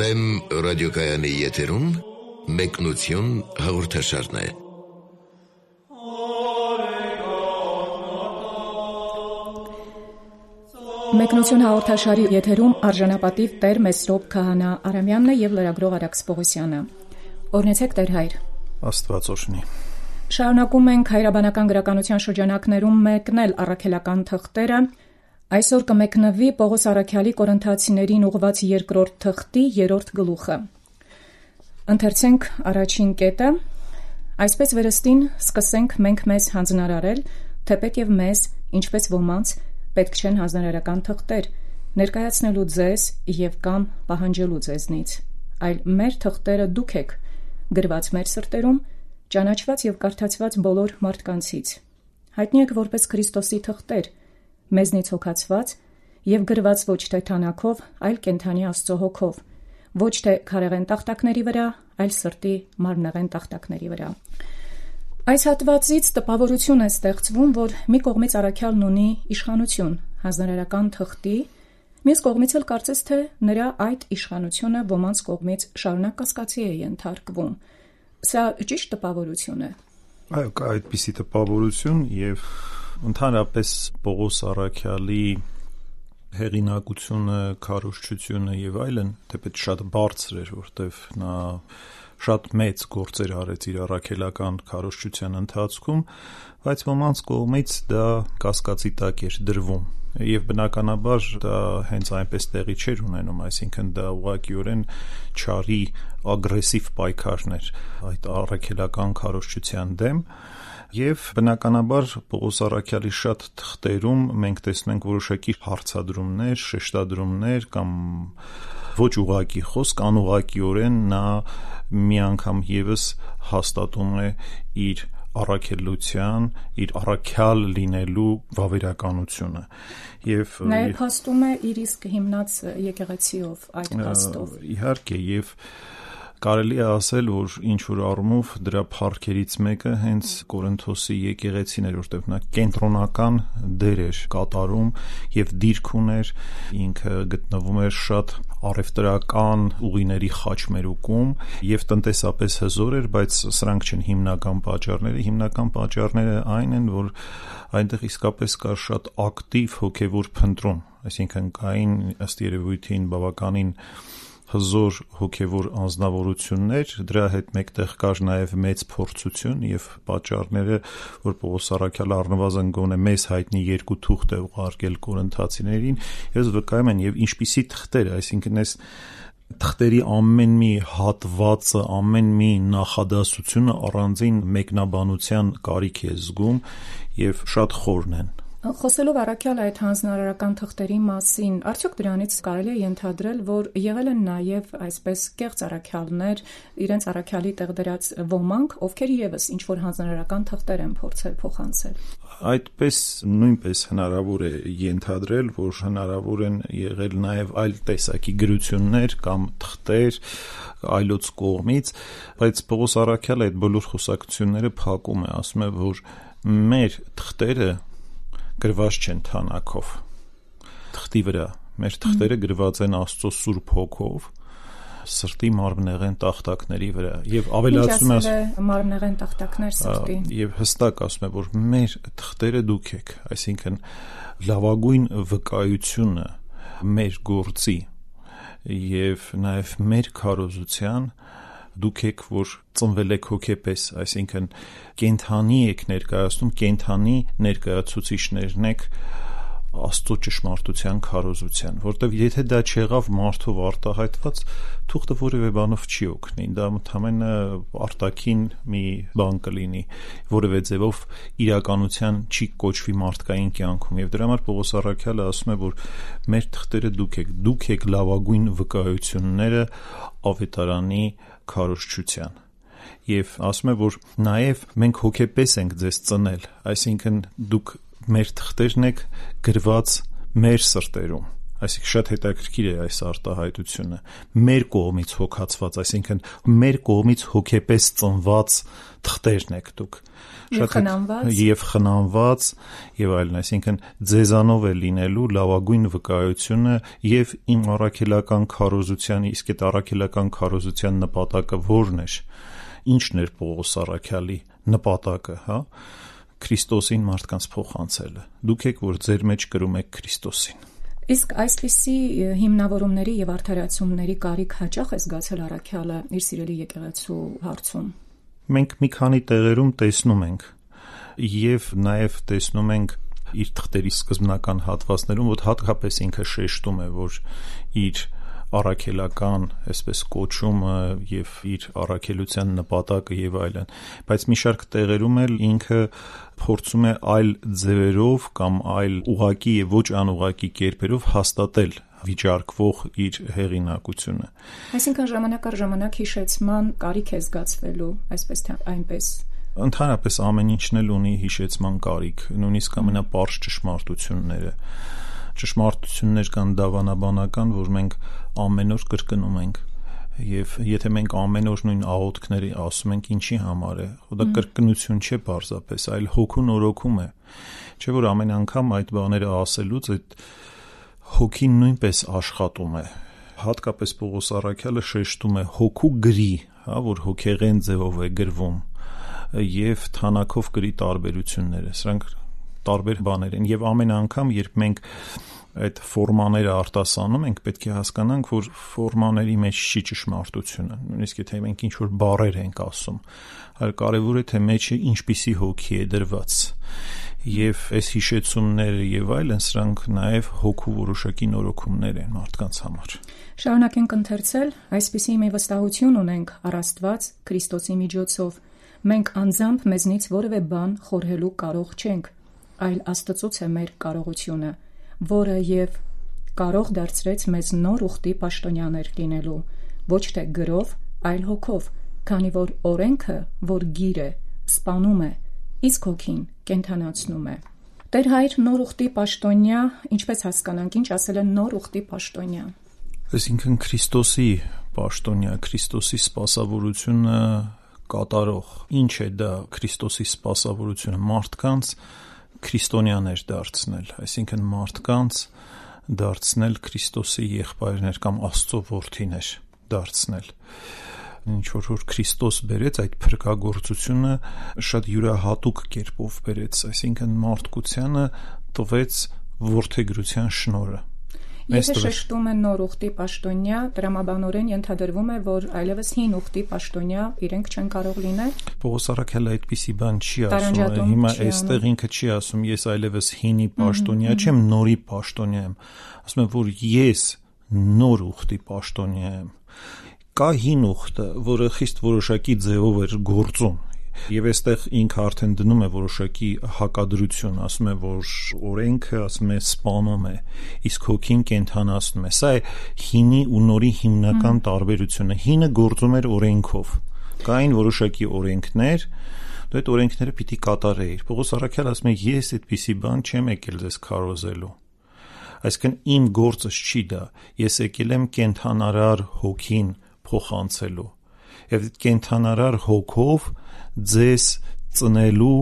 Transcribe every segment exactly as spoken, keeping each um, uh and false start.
Վեմ ռադիոկայանի եթերում մեկնություն հաղորդաշարն է։ Մեկնություն հաղորդաշարի եթերում արժանապատիվ Տեր Մեսրոպ Քահանա Արամյանն է եւ լրագրող Արաքս Պողոսյանը։ Օրհնեցեք Տեր հայր։ Աստված օրհնի։ Շարունակում ենք հայրաբանական գրականության շրջանակներում մեկնել առաքելական թղթերը։ Այսօր կմեկնվի Պողոս Առաքյալի Կորինթացիներին ուղղված երկրորդ թղթի երրորդ գլուխը։ Ընթերցենք առաջին կետը։ Այսպես վերստին սկսենք մենք մեզ հանձնարարել, թեպետ եւ մեզ, ինչպես ոմանց, պետք չեն հանձնարարական թղթեր, ներկայացնելու ձեզ եւ կամ պահանջելու ձեզնից, այլ մեր թղթերը դուք եք, գրված մեր սրտերում, ճանաչված եւ կարդացված բոլոր մարդկանցից։ Հայտնի եք որպես Քրիստոսի թղթեր, մեզնից հոգացված եւ գրված ոչ թե թանաքով, այլ կենդանի Աստծո հոգով, ոչ թե քարեղեն տախտակների վրա, այլ սրտի մարմնեղեն տախտակների վրա։ Այս հատվածից տպավորություն է ստեղծվում, որ մի կողմից առաքյալն ունի իշխանություն հանձնարարական թղթի, մյուս կողմից էլ կարծես թե նրա այդ իշխանությունը ոմանց կողմից շարունակ կասկածի է ենթարկվում։ Սա ճիշտ տպավորություն է։ Այո, կա այդպիսի տպավորություն եւ ընդհանրապես Պողոս Առաքյալի հեղինակությունը, քարոզչությունը եւ այլն, թեպետ շատ բարձր էր, որտեվ նա շատ մեծ գործեր արեց իր առաքելական քարոզչության ընթացքում, բայց ոմանց կողմից դա կասկածի տակ էր դրվում եւ բնականաբար դա հենց այնպես տեղի չէր ունենում, այսինքն դա ուղղակիորեն չարի ագրեսիվ պայքարներ այդ առաքելական քարոզչության դեմ եւ բնականաբար Պողոս Առաքյալի շատ թղթերում մենք տեսնում ենք որոշակի հարցադրումներ, շեշտադրումներ կամ ոչ ուղղակի խոսք, անուղղակիորեն նա մի անգամ եւս հաստատում է իր առաքելության, իր առաքյալ լինելու վավերականությունը եւ նաեւ փաստում է իր իսկ հիմնած եկեղեցիով այդ փաստով։ Իհարկե եւ կարելի է ասել, որ ինչ որ առումով դրա փառքերից մեկը հենց Կորինթոսի եկեղեցին էր, որտեղ նա կենտրոնական դեր էր կատարում եւ դիրք ուներ, ինքը գտնվում էր շատ առևտրական ուղիների խաչմերուկում եւ տնտեսապես հզոր էր, բայց սրանք չեն հիմնական պատճառները, հիմնական պատճառները այն են, որ այնտեղ իսկապես կար շատ ակտիվ հոգեվոր փնտրում, այսինքն կային ըստ երևույթին բավականին հզոր հոգևոր անձնավորություններ, դրա հետ մեկտեղ կար նաև մեծ փորձություն եւ պատճառները, որ Պողոս Առաքյալը առնվազն գոնե մեզ հայտնի երկու թուղթ է ուղարկել կորինթացիներին, ես վկայում եմ եւ ինչպիսի թղթեր, այսինքն այս թղթերի ամեն մի հատվածը, ամեն մի նախադասությունը առանձին մեկնաբանության կարիք է զգում եւ շատ խորն են։ Խոսելով առաքյալ այդ հանձնարարական թղթերի մասին, արդյոք դրանից կարելի է ենթադրել, որ եղել են նաև այսպես կեղծ առաքյալներ, իրենց առաքյալի տեղ դրած ոմանք, ովքեր եւս ինչ որ հանձնարարական թղթեր են փորձել փոխանցել։ Այդպես նույնպես հնարավոր է ենթադրել, որ հնարավոր են եղել նաև այլ տեսակի գրություններ կամ թղթեր այլոց կողմից, բայց Պողոս Առաքյալը այդ բոլոր խոսակցությունները փակում է, ասում է, որ մեր թղթերը գրված չեն թանակով թղթի վրա, մեր թղթերը գրված են Աստծո Սուրբ Հոգով սրտի մարմնեղեն տախտակների վրա եւ ավելացնում է մարմնեղեն տախտակներ սրտի եւ հստակ ասում է, որ մեր թղթերը դուք եք, այսինքն լավագույն վկայությունը մեր գործի եւ նաեւ մեր քարոզության դուք եք, որ ծնվել եք հոգեպես, այսինքն կենթանի եք ներկայացնում, կենթանի ներկայացուցիչներն եք Աստծո ճշմարտության քարոզության, որտեղ եթե դա չեղավ մարդով արտահայտված, թուղթը որևէ բանով չի օգնի, դա ընդհանրապես արտաքին մի բան կլինի, որևէ ձևով իրականության չի կոչվի մարդկային կյանքում, եւ դրա համար Պողոս Առաքյալը ասում է, որ մեր թղթերը դուք եք, դուք եք լավագույն վկայությունները ավետարանի քարոզչության եւ ասում է, որ նաեւ մենք հոգեպես ենք ձեզ ծնել, այսինքն դուք մեր թղթերն եք գրված մեր սրտերում, Այսինքն շատ հետաքրքիր է այս արտահայտությունը, մեր կողմից հոգացված, այսինքն մեր կողմից հոգեպես ծնված թղթերն եք դուք, եւ խնամված եւ խնամված եւ այլն, այսինքն ձեզանով է լինելու լավագույն վկայությունը եւ իմ առաքելական քարոզության, իսկ այդ առաքելական քարոզության նպատակը ո՞րն էր, ինչն էր Պողոս առաքյալի նպատակը, հա, Քրիստոսին մարդկանց փոխանցելը, դուք եք, որ ձեր մեջ կրում եք Քրիստոսին։ Իսկ այսպիսի հիմնավորումների եւ արդարացումների կարիք հաճախ է զգացել առաքյալը իր սիրելի եկեղեցու հարցում։ Մենք մի քանի տեղերում տեսնում ենք եւ նաեւ տեսնում ենք իր թղթերի սկզբնական հատվածներում, որ հատկապես ինքը շեշտում է, որ իր առաքելական, այսպես կոչումը եւ իր առաքելության նպատակը եւ այլն, բայց մի շարք տեղերում էլ ինքը փորձում է այլ ձևերով կամ այլ ուղղակի եւ ոչ անուղղակի կերպերով հաստատել վիճարկվող իր հեղինակությունը։ Այսինքն ժամանակ առ ժամանակ հիշեցման կարիք է զգացվելու, այսպես թե այնպես։ Ընդհանրապես ամեն ինչն էլ ունի հիշեցման կարիք, նույնիսկ ամենապարզ ճշմարտությունները։ Ճշմարտություններ կան դավանաբանական, որ մենք ամեն օր կրկնում ենք եւ եթե մենք ամեն օր նույն աղոթքների ասում ենք, ինչի համար է, դա կրկնություն չէ պարզապես, այլ հոգու նորոգում է, չէ՞ որ ամեն անգամ այդ բաները ասելուց այդ հոգին նույնպես աշխատում է, հատկապես Պողոս առաքյալը շեշտում է հոգու գրի, հա, որ հոգեղեն ձևով է գրվում եւ թանակով գրի տարբերությունները, սրանք տարբեր բաներ են եւ ամեն անգամ երբ մենք այդ ֆորմաները արտասանում ենք, պետք է հասկանանք, որ ֆորմաների մեջ չի ճշմարտությունը, նույնիսկ եթե մենք ինչ-որ բառեր ենք ասում, այլ կարևոր է թե մեջը ինչպիսի հոգի է դրված եւ այս հիշեցումները եւ այլն, սրանք նաեւ հոգու որոշակի նորոգումներ են մարդկանց համար։ Շարունակենք ընթերցել, այսպիսի մի վստահություն ունենք առ Աստված Քրիստոսի միջոցով, մենք անձամբ մեզնից որևէ բան խորհելու կարող չենք, այլ Աստծուց է մեր կարողությունը, որը եւ կարող դարձրեց մեզ նոր ուխտի պաշտոնյաներ լինելու, ոչ թե գրով, այլ հոգով, քանի որ օրենքը, որ գիր է, սպանում է, իսկ հոգին կենդանացնում է։ Տեր Հայր, նոր ուխտի պաշտոնյա, ինչպես հասկանանք, ինչ ասել է նոր ուխտի պաշտոնյա։ Այսինքն Քրիստոսի պաշտոնյա, Քրիստոսի սպասավորությունը կատարող։ Ինչ է դա Քրիստոսի սպասավորությունը մարդկանց քրիստոնյաներ դարձնել, այսինքն մարդկանց դարձնել Քրիստոսի եղբայրներ կամ Աստծո որդիներ դարձնել։ Ինչ որ որ Քրիստոս բերեց այդ փրկagorցությունը շատ յուրահատուկ կերպով բերեց, այսինքն մարդկությանը տվեց որդեգրության շնորհը։ Եթե շեշտում են նոր ուխտի պաշտոնյա, տրամաբանորեն ենթադրվում է, որ այլևս հին ուխտի պաշտոնյա իրենք չեն կարող լինել։ Պողոս առաքյալը այդպիսի բան չի ասում, հիմա այստեղ ինքը չի ասում, ես այլևս հինի պաշտոնյա չեմ, նորի պաշտոնյա եմ, ասում եմ, որ ես նոր ուխտի պաշտոնյա եմ։ Կա հին ուխտը, որը խիստ որոշակի ձևով էր գործում, եւ այստեղ ինքը արդեն դնում է որոշակի հակադրություն, ասում է, որ օրենքը, ասում է, սպանում է, իսկ հոգին կենդանացնում է։ Սա է հինի ու նորի հիմնական տարբերությունը։ Հինը գործում էր օրենքով, կային որոշակի օրենքներ, դու այդ օրենքները պիտի կատարեիր։ Պողոս առաքյալը ասում է, ես այդպիսի բան չեմ եկել ձեզ քարոզելու, այսինքն իմ գործս չի դա, ես եկել եմ կենդանարար հոգին փոխանցելու եւ այդ կենդանարար հոգով ձեզ ծնելու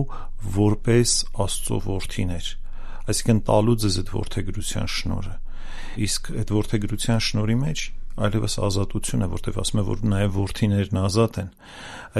որպես Աստծո որդիներ, այսինքն տալու ձեզ այդ որդեգրության շնորհը, իսկ այդ որդեգրության շնորհի մեջ այլևս ազատություն է, որտեղ ասում է, որ նաև որդիներն ազատ են,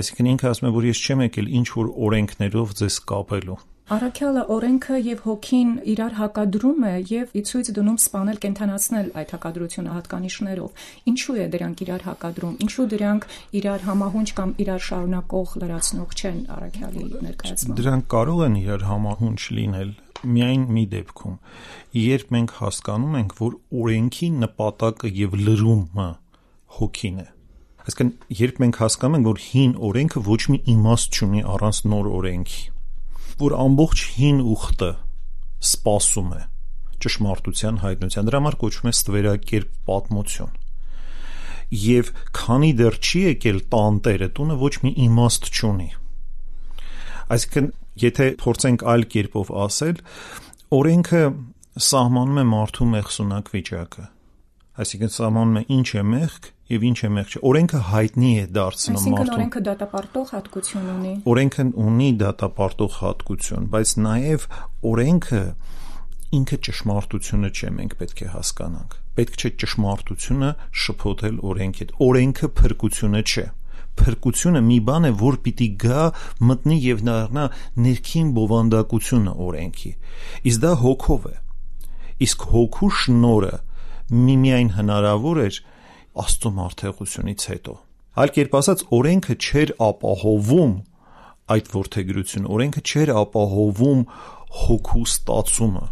այսինքն ինքը ասում է, որ ես չեմ եկել ինչ որ օրենքներով ձեզ կապելու։ Առաքյալը օրենքը եւ հոգին իրար հակադրում է եւ ի ցույց դնում սպանել կենդանացնել այդ հակադրությունը հատկանիշներով։ Ինչու է դրանք իրար հակադրում, ինչու դրանք իրար համահունչ կամ իրար շարունակող լրացնող չեն առաքյալի ներկայացնում։ Դրանք կարող են իրար համահունչ լինել միայն մի դեպքում, երբ մենք հասկանում ենք, որ օրենքի նպատակը եւ լրումը հոգին է։ Այսինքն երբ մենք հասկանում ենք, որ հին օրենքը ոչ մի իմաստ չունի առանց նոր օրենքի, որ ամբողջ հին ուխտը սպասում է ճշմարտության հայտնության, դրա համար կոչվում է ստվերակերպ պատմություն։ Եվ քանի դեռ չի եկել տանտերը տունը, ոչ մի իմաստ չունի։ Այսինքն, եթե փորձենք այլ կերպով ասել, օրենքը սահմանում է մարդու մեղսունակ վիճակը։ Այսինքն սահմանում է ինչ է մեղք եւ ինչ է մեղք չէ։ Օրենքը հայտնի է դարձնում մարդուն։ Այսինքն օրենքը դատապարտող հատկություն ունի։ Օրենքը ունի դատապարտող հատկություն, բայց նաեւ օրենքը ինքը ճշմարտությունը չէ, մենք պետք է հասկանանք։ Պետք չէ ճշմարտությունը շփոթել օրենքի հետ։ Օրենքը փրկությունը չէ։ Փրկությունը մի բան է, որ պիտի գա, մտնի եւ դառնա ներքին բովանդակությունը օրենքի։ Իսկ դա հոգով է։ Իսկ հոգու շնորհը միմիայն հնարավոր էր Աստծո մարդեղությունից հետո։ Այլ կերպ ասած, օրենքը չէր ապահովում այդ որդեգրությունը, օրենքը չէր ապահովում հոգու ստացումը,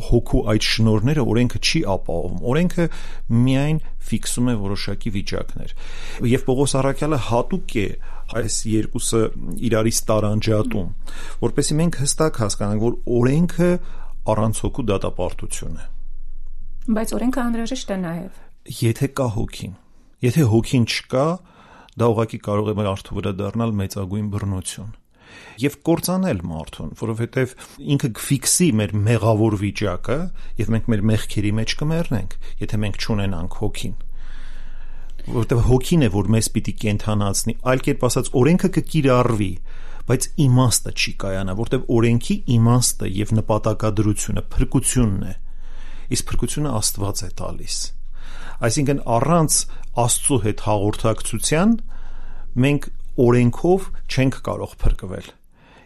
հոգու այդ շնորհները օրենքը չի ապահովում, օրենքը միայն ֆիքսում է որոշակի վիճակներ։ Եվ Պողոս առաքյալը հատուկ է այս երկուսը իրարից տարանջատում, որպեսզի մենք հստակ հասկանանք, որ օրենքը առանց հոգու դատապարտություն է։ Բայց օրենքը անհրաժեշտ է նաև։ Եթե կա հոգին, եթե հոգին չկա, դա ուղղակի կարող է մարդու վրա դառնալ մեծագույն բռնություն եւ կործանել մարդուն, որովհետեւ ինքը կֆիքսի մեր մեղավոր վիճակը եւ մենք մեր մեղքերի մեջ կմեռնենք, եթե մենք չունենանք հոգին, որովհետեւ հոգին է, որ մեզ պիտի կենթանացնի, այլ կերպ ասած օրենքը կկիրառվի, բայց իմաստը չի կայանա, որովհետեւ օրենքի իմաստը եւ նպատակադրությունը փրկությունն է, իսկ փրկությունը Աստված է տալիս։ Այսինքն առանց Աստծո հետ հաղորդակցության մենք օրենքով չենք կարող փրկվել։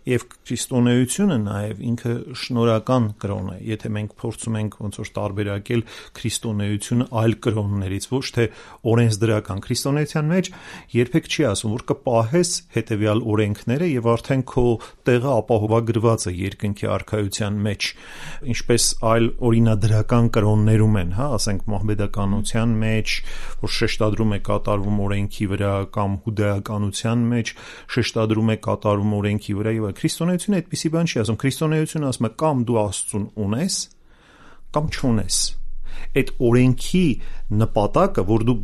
Եվ քրիստոնեությունը նաև ինքը շնորհական կրոն է, եթե մենք փորձում ենք ոնց որ տարբերակել քրիստոնեությունը այլ կրոններից, ոչ թե օրենսդրական։ Քրիստոնեության մեջ երբեք չի ասում, որ կպահես հետևյալ օրենքները եւ արդեն քո տեղը ապահովագրված է երկնքի արքայության մեջ, ինչպես այլ օրինադրական կրոններում են, հա, ասենք մահմեդականության մեջ, որ շեշտադրում է կատարվում օրենքի վրա, կամ հուդայականության մեջ շեշտադրում է կատարվում օրենքի վրա եւ քրիստոնեությունը այդպիսի բան չի ասում։ Քրիստոնեությունը ասում է կամ դու Աստծուն ունես, կամ չունես։ Այդ օրենքի նպատակը, որ դու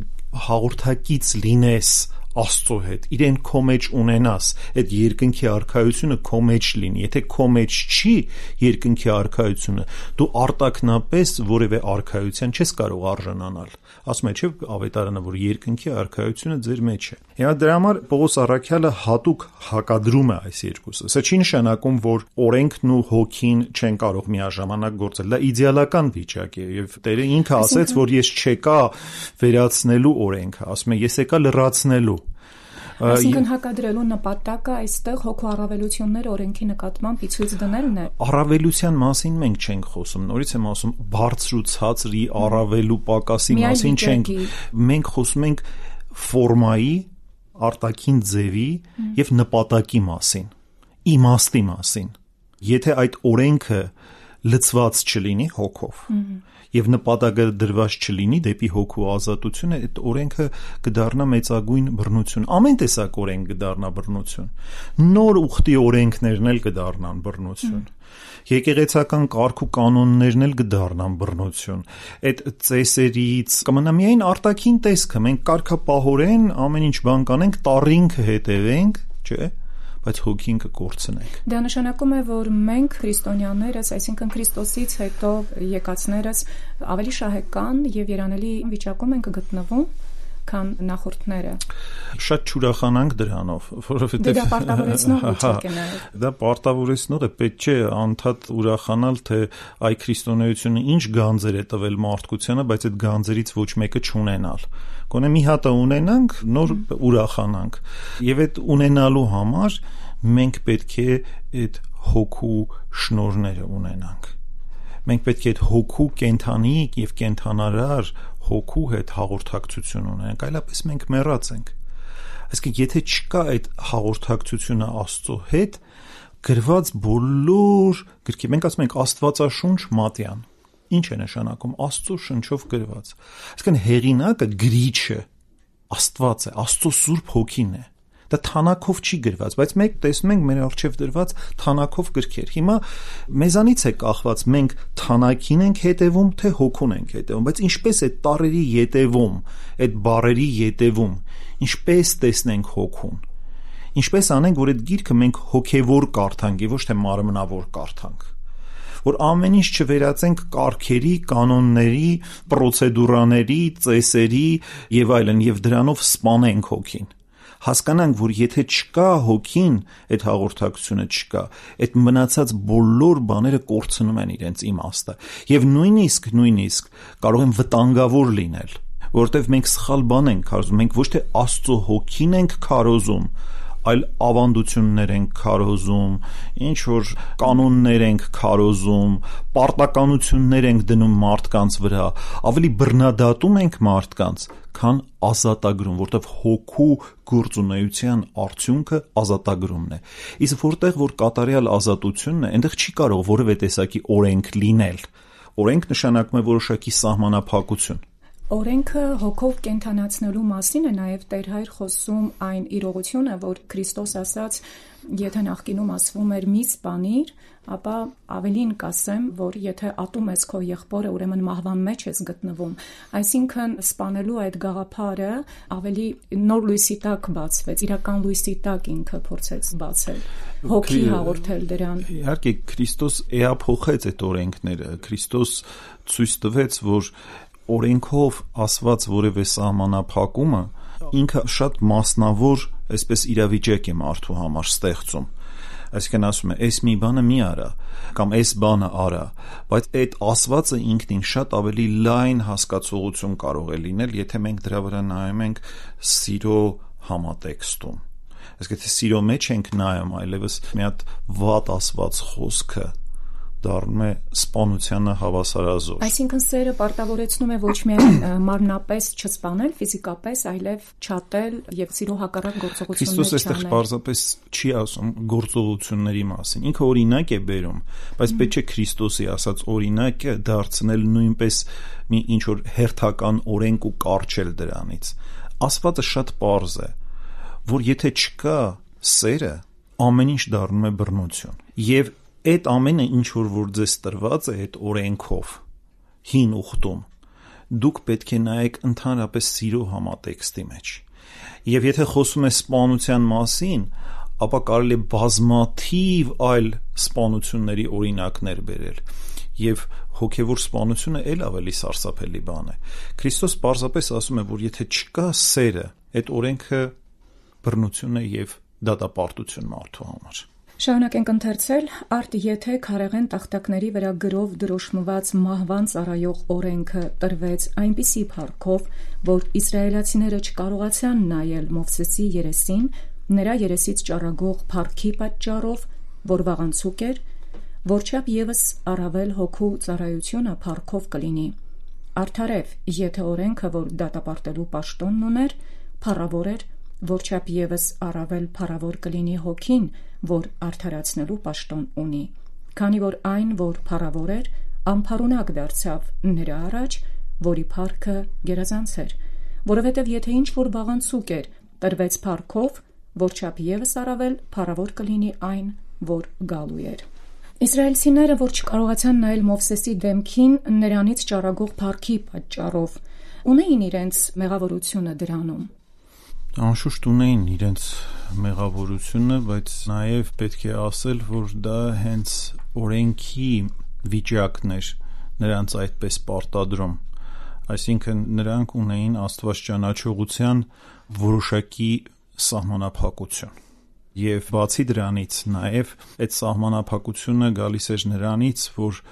հաղորդակից լինես Աստծո հետ, իրեն քո մեջ ունենաս, այդ երկնքի արքայությունը քո մեջ լինի։ Եթե քո մեջ չի երկնքի արքայությունը, դու արտակնապես որևէ արքայության չես կարող արժանանալ։ Ասում է, չէ՞ ավետարանը, որ երկնքի արքայությունը ձեր մեջ է։ Եվ դրա համար Պողոս առաքյալը հատուկ հակադրում է այս երկուսը։ Սա չի նշանակում, որ օրենքն ու հոգին չեն կարող միաժամանակ գործել։ Դա իդեալական վիճակ է, եւ Տերը ինքը ասեց, որ ես չեկա վերացնելու օրենքը, ասում է, ես եկա լրացնելու։ Այսինքն հակադրելու նպատակը այստեղ հոգու առավելությունները օրենքի նկատմամբ ցույց դնելն է։ Առավելության մասին մենք չենք խոսում, նորից եմ ասում, բարձր ու ցածրի առավելու պակասի մասին չենք։ Մենք խոսում ենք ֆորմայի, արտաքին ձևի եւ նպատակի մասին, իմաստի մասին։ Եթե այդ օրենքը լցված չլինի հոգով եւ նպատակը դրված չլինի դեպի հոգու ազատությունը, այդ օրենքը կդառնա մեծագույն բռնություն։ Ամեն տեսակ օրենք կդառնա բռնություն։ Նոր ուխտի օրենքներն էլ կդառնան բռնություն։ Եկեղեցական կարգ ու կանոններն էլ կդառնան բռնություն։ Այդ ծեսերից կմնա միայն արտաքին տեսքը, մենք կարգապահորեն ամեն ինչ բան կանենք, տառինքը հետևենք, չէ՞, բայց հոգին կկորցնենք։ Դա նշանակում է, որ մենք քրիստոնյաներս, այսինքն Քրիստոսից հետո եկածներս ավելի շահեկան եւ երանելի վիճակում ենք գտնվում, քան նախորդները։ Շատ չուրախանանք դրանով, որովհետեւ դա պարտավորեցնող վիճակ է նաեւ։ Դա պարտավորեցնող է, պետք չէ անդադ ուրախանալ, թե այ քրիստոնեությունը ինչ գանձեր է տվել մարդկությանը, բայց այդ գանձերից ոչ մեկը չունենալ։ Գոնե մի հատը ունենանք, նոր ուրախանանք։ Եվ այդ ունենալու համար մենք պետք է այդ հոգու շնորհները ունենանք։ Մենք պետք է այդ հոգու կենթանի եւ կենթանարար հոգու հետ հաղորդակցություն ունենք, այլապես մենք մեռած ենք։ Այսինքն, եթե չկա այդ հաղորդակցությունը Աստծո հետ, գրված բոլոր գրքի, մենք ասում ենք Աստվածաշունչ մատյան։ Ինչ է նշանակում Աստծո շնչով գրված։ Այսինքն, հեղինակը, գրիչը Աստված է, Աստծո Սուրբ Հոգին է։ Դա թանակով չի գրված, բայց մենք տեսնում ենք մեր առջև դրված թանակով գրքեր։ Հիմա մեզանից է կախված մենք թանակին ենք հետևում, թե հոգուն ենք հետևում, բայց ինչպես է տառերի ետևում, այդ բառերի ետևում, ինչպես տեսնենք հոգուն։ Ինչպես անենք, որ այդ գիրքը մենք հոգևոր կարդանք, ոչ թե մարմնավոր կարդանք։ որ ամեն ինչ չվերածենք կարգերի, կանոնների, պրոցեդուրաների, ծեսերի եւ այլն եւ դրանով սպանենք հոգին։ Հասկանանք, որ եթե չկա հոգին, այդ հաղորդակցությունը չկա, այդ մնացած բոլոր բաները կորցնում են իրենց իմաստը եւ նույնիսկ նույնիսկ կարող են վտանգավոր լինել, որովհետեւ մենք սխալ բան ենք կարծում, մենք ոչ թե Աստծո հոգին ենք քարոզում, այլ ավանդություններ ենք քարոզում, ինչ որ կանոններ ենք քարոզում, պարտականություններ ենք դնում մարդկանց վրա, ավելի բռնադատում ենք մարդկանց, քան ազատագրում, որտեղ հոգու գործունեության արդյունքը ազատագրումն է։ Իսկ որտեղ որ կատարյալ ազատությունն է, այնտեղ չի կարող որևէ տեսակի օրենք լինել։ Օրենք նշանակում է որոշակի սահմանափակություն։ Օրենքը հոգով կենթանացնելու մասին է նաև Տեր Հայր խոսում այն իրողությունը, որ Քրիստոս ասաց, եթե նախկինում ասվում էր մի սպանիր, ապա ավելին կասեմ, որ եթե ատում ես քո եղբորը, ուրեմն մահվան մեջ ես գտնվում։ Այսինքն սպանելու այդ գաղափարը ավելի նոր լույսի տակ բացվեց, իրական լույսի տակ ինքը փորձեց բացել, հոգի հաղորդել դրան։ Իհարկե Քրիստոս էափոխեց այդ օրենքները, Քրիստոս ցույց տվեց, որ օրենքով ասված որևէ սահմանափակումը ինքը շատ մասնավոր, այսպես իրավիճակ է մարդու համար ստեղծում։ Այսինքն ասում է, այս մի բանը մի արա, կամ այս բանը արա, բայց այդ ասվածը ինքնին շատ ավելի լայն հասկացողություն կարող է լինել, եթե մենք դրա վրա նայում ենք սիրո համատեքստում։ Այսինքն եթե սիրո մեջ ենք նայում, այլևս մի հատ վատ ասված խոսքը դառնում է սպանությանը հավասարազոր։ Այսինքն սերը պարտավորեցնում է ոչ միայն մարմնապես չսպանել, ֆիզիկապես, այլև չատել եւ սիրո հակառակ գործողություններ չանել։ Քրիստոս այստեղ պարզապես չի ասում գործողությունների մասին։ Ինքը օրինակ է բերում, բայց պետք չէ Քրիստոսի ասած օրինակը դարձնել նույնպես մի ինչ որ հերթական օրենք ու կարճել դրանից։ Ասվածը շատ պարզ է, որ եթե չկա սերը, ամեն ինչ դառնում է բռնություն։ Եվ այդ ամենը ինչ որ որ ձեզ տրված է այդ օրենքով հին ուխտում, դուք պետք է նայեք ընդհանրապես սիրո համատեքստի մեջ։ Եվ եթե խոսում է սպանության մասին, ապա կարելի է բազմաթիվ այլ սպանությունների օրինակներ բերել։ Եվ հոգևոր սպանությունը էլ ավելի սարսափելի բան է։ Քրիստոս պարզապես ասում է, որ եթե չկա սերը, այդ օրենքը բռնություն է եւ դատապարտություն մարդու համար։ Շարունակենք ընթերցել, արդ եթե քարեղեն տախտակների վրա գրով դրոշմված մահվան ծառայող օրենքը տրվեց այնպիսի փառքով, որ իսրայելացիները չկարողացան նայել Մովսեսի երեսին, նրա երեսից ճառագող փառքի պատճառով, որ վաղանցուկ էր, որչափ ևս առավել հոգու ծառայությունը փառքով կլինի։ Արդարև, եթե օրենքը, որ դատապարտելու պաշտոնն ուներ, փառավոր էր, որչափ ևս առավել փառավոր կլինի հոգին, որ արդարացնելու պաշտոն ունի, քանի որ այն, որ փառավոր էր, անփառունակ դարձավ նրա առաջ, որի փառքը գերազանց էր, որովհետև եթե ինչ որ վաղանցուկ էր, տրվեց փառքով, որչափ ևս առավել փառավոր կլինի այն, որ գալու էր։ Իսրայելցիները, որ չկարողացան նայել Մովսեսի դեմքին, նրանից ճառագող փառքի պատճառով, ունեին իրենց մեղավորությունը դրանում։ Անշուշտ ունեին իրենց մեղավորությունը, բայց նաև պետք է ասել, որ դա հենց օրենքի վիճակն էր նրանց այդպես պարտադրում։ Այսինքն նրանք ունեին Աստված ճանաչողության որոշակի սահմանափակություն։ Եվ բացի դրանից նաև այդ սահմանափակությունը գալիս էր նրանից, որ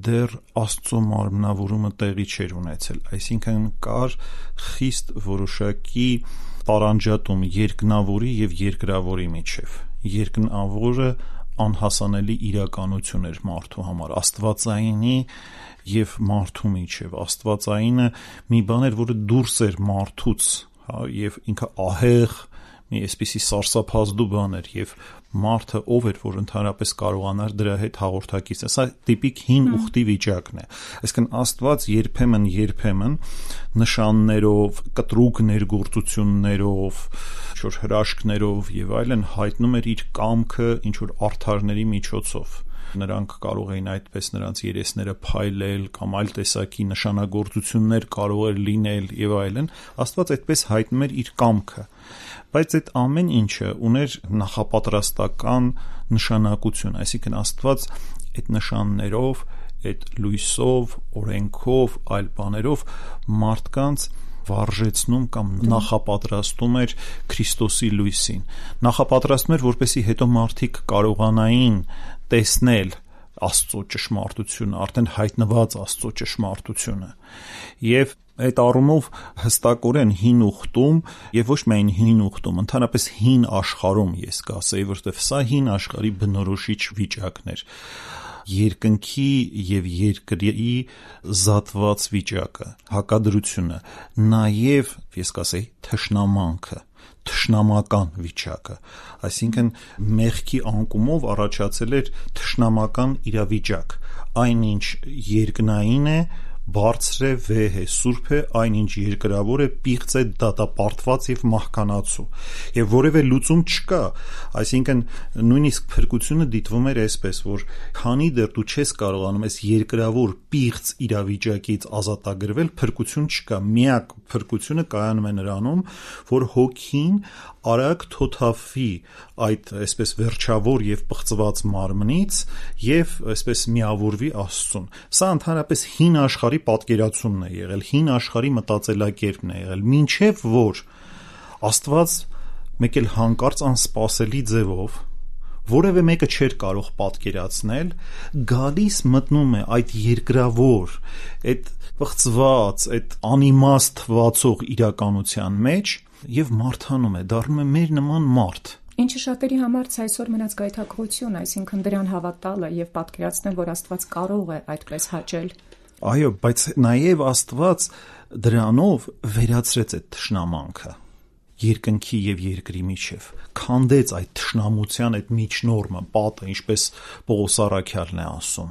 դեռ Աստծո մարմնավորումը տեղի չէր ունեցել, այսինքն կար խիստ որոշակի տարանջատում երկնավորի եւ երկրավորի միջև։ Երկնավորը անհասանելի իրականություն էր մարդու համար, աստվածայինի եւ մարդու միջև։ Աստվածայինը մի բան էր, որը դուրս էր մարդուց, հա, եւ ինքը ահեղ մի այսպիսի սարսափազդու բան էր եւ մարդը ով էր, որ ընդհանրապես կարողանար դրա հետ հաղորդակից։ Սա տիպիկ հին ուխտի վիճակն է։ Այսինքն Աստված երբեմն երբեմն նշաններով, կտրուկ ներգործություններով, ինչ որ հրաշքներով եւ այլն հայտնում էր իր կամքը ինչ որ արդարների միջոցով։ Նրանք կարող էին այդպես նրանց երեսները փայլել կամ այլ տեսակի նշանագործություններ կարող էր լինել եւ այլն։ Աստված այդպես հայտնում էր իր կամքը։ Բայց այդ ամեն ինչը ուներ նախապատրաստ փաստական նշանակություն, այսինքն Աստված այդ նշաններով, այդ լույսով, օրենքով, այլ բաներով մարդկանց վարժեցնում կամ նախապատրաստում էր Քրիստոսի լույսին, նախապատրաստում էր, որպեսզի հետո մարդիկ կարողանային տեսնել Աստծո ճշմարտությունը, արդեն հայտնված Աստծո ճշմարտությունը։ Եվ այդ առումով հստակորեն հին ուխտում եւ ոչ միայն հին ուխտում, ընդհանրապես հին աշխարհում ես կասեի, որովհետեւ սա հին աշխարհի բնորոշիչ վիճակն էր, երկնքի եւ երկրի զատված վիճակը, հակադրությունը, նաեւ ես կասեի թշնամանքը, թշնամական վիճակը, այսինքն մեղքի անկումով առաջացել էր թշնամական իրավիճակ, այնինչ երկնային է, բարձր է, վեհ է, սուրբ է, այնինչ երկրավոր է, պիղծ է, դատապարտված եւ մահկանացու, եւ որևէ լուծում չկա, այսինքն նույնիսկ փրկությունը դիտվում էր այսպես, որ քանի դեռ դու չես կարողանում ես երկրավոր պիղծ իրավիճակից ազատագրվել, փրկություն չկա, միակ փրկությունը կայանում է նրանում, որ հոգին արագ թոթափվի այդ այսպես վերջավոր եւ պղծված մարմնից եւ այսպես միավորվի Աստծուն։ Սա ընդհանրապես հին աշխարհի պատկերացումն է եղել, հին աշխարհի մտածելակերպն է եղել, մինչեւ որ Աստված մեկ էլ հանկարծ անսպասելի ձևով, որևէ մեկը չէր կարող պատկերացնել, գալիս մտնում է այդ երկրավոր, այդ պղծված, այդ անիմաստ թվացող իրականության մեջ եւ մարդանում է, դառնում է մեր նման մարդ։ Ինչը շատերի համար այսօր մնաց գայթակղություն, այսինքն դրան հավատալը եւ պատկերացնել, որ Աստված կարող է այդպես հաճել։ Այո, բայց նաեւ Աստված դրանով վերացրեց այդ թշնամանքը երկնքի եւ երկրի միջև, քանդեց այդ թշնամության այդ միջնորմը, պատը, ինչպես Պողոս առաքյալն է ասում,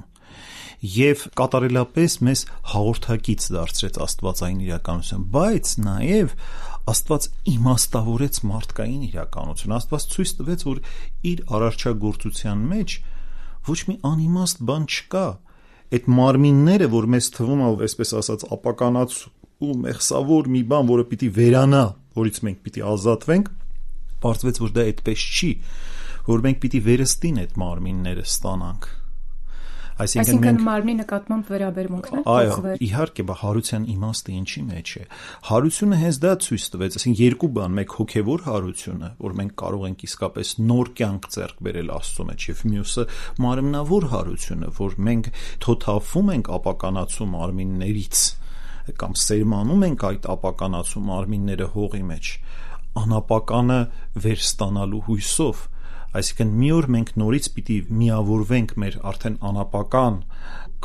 եւ կատարելապես մեզ հաղորդակից դարձրեց աստվածային իրականություն, բայց նաեւ Աստված իմաստավորեց մարդկային իրականություն, Աստված ցույց տվեց, որ իր արարչագործության մեջ ոչ մի անիմաստ բան չկա, այդ մարմինները, որ մեզ թվում է, այսպես ասած, ապականած ու մեղսավոր մի բան, որը պիտի վերանա, որից մենք պիտի ազատվենք, պարզվեց, որ դա այդպես չի, որ մենք պիտի վերստին այդ մարմինները ստանանք։ Այսինքն մենք մարմնի նկատմամբ վերաբերմունքն է փոխվել։ Այո, իհարկե, բա հարության իմաստը ինչի մեջ է։ Հարությունը հենց դա ցույց տվեց, այսինքն երկու բան, մեկ հոգևոր հարությունը, որ մենք կարող ենք իսկապես նոր կյանք ձեռք բերել Աստծո մեջ, եւ մյուսը մարմնավոր հարությունը, որ մենք թոթափվում ենք ապականացու մարմիններից կամ սերմանում ենք այդ ապականացու մարմինները հողի մեջ, անապականը վերստանալու հույսով, այսինքն մի օր մենք նորից պիտի միավորվենք մեր արդեն անապական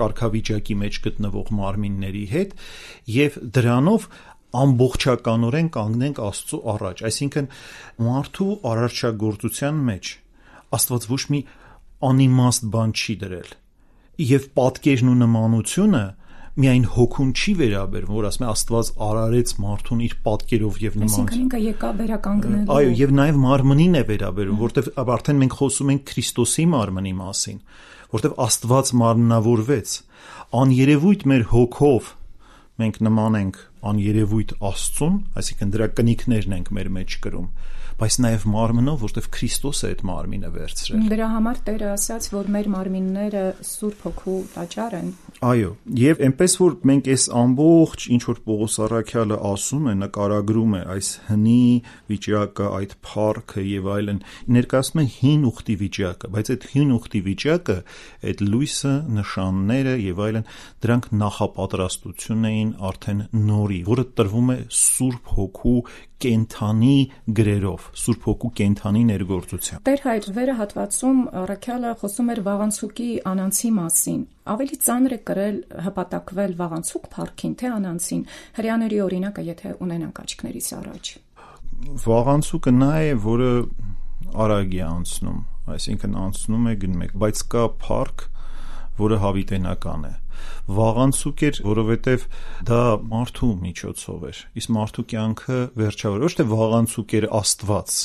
կարգավիճակի մեջ գտնվող մարմինների հետ եւ դրանով ամբողջականորեն կանգնենք Աստծո առաջ, այսինքն մարդու արարչագործության մեջ Աստված ոչ մի անիմաստ բան չի դրել եւ պատկերն ու նմանությունը միայն հոգուն չի վերաբերվում, որ ասում է Աստված արարեց մարդուն իր պատկերով եւ նմանությամբ։ Այսինքն ինքը եկա վերականգնելու։ Այո, եւ նաեւ մարմնին է վերաբերվում, որտեվ արդեն մենք խոսում ենք Քրիստոսի մարմնի մասին, որտեվ Աստված մարմնավորվեց, աներևույթ մեր հոգով մենք նման ենք աներևույթ Աստծուն, այսինքն դրա կնիքներն ենք մեր մեջ կրում, բայց նաև մարմնով, որտեղ Քրիստոսը այդ մարմինը վերցրել։ Դրա համար Տերը ասաց, որ մեր մարմինները Սուրբ Հոգու տաճար են։ Այո, եւ այնպես որ մենք այս ամբողջ ինչ որ Պողոս առաքյալը ասում է, նկարագրում է այս հնի վիճակը, այդ փառքը եւ այլն, ներկայացնում է հին ուխտի վիճակը, բայց այդ հին ուխտի վիճակը, այդ լույսը, նշանները եւ այլն, դրանք նախապատրաստություն էին արդեն նորի, որը տրվում է Սուրբ Հոգու կենթանի գրերով, Սուրբ Հոգու կենթանի ներգործությամբ։ Տեր Հայր վերը հատվածում առաքյալը խոսում էր վաղանցուկի անանցի մասին։ Ավելի ծանր է կրել հպատակվել վաղանցուկ փառքին, թե անանցին։ Հրեաների օրինակը, եթե ունենանք աչքներիս առաջ։ Վաղանցուկը նա է, որը արագ է անցնում, այսինքն անցնում է գնում է, բայց կա փառք, որը հավիտենական է։ Վաղանցուկ էր, որովհետև դա մարդու միջոցով էր, իսկ մարդու կյանքը վերջավոր, ոչ թե վաղանցուկ էր Աստված,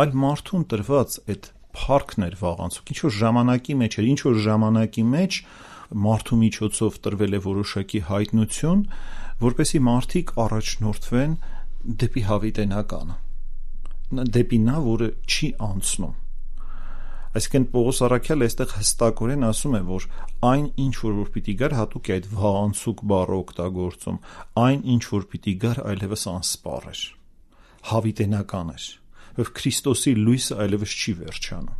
այլ մարդուն տրված այդ փառքն էր վաղանցուկ, ինչ որ ժամանակի մեջ էր, ինչ որ ժամանակի մեջ մարդու միջոցով տրվել է որոշակի հայտնություն, որպեսզի մարդիկ առաջնորդվեն դեպի հավիտենականը, դեպի նա, որը չի անցնում, Այսինքն Պողոս Առաքյալը այստեղ հստակորեն ասում է, որ այն ինչ որ որ պիտի գար, հատուկ է այդ վաղանցուկ բառը օգտագործում, այն ինչ որ պիտի գար այլևս անսպառ էր, հավիտենական էր, որ Քրիստոսի լույսը այլևս չի վերջանում։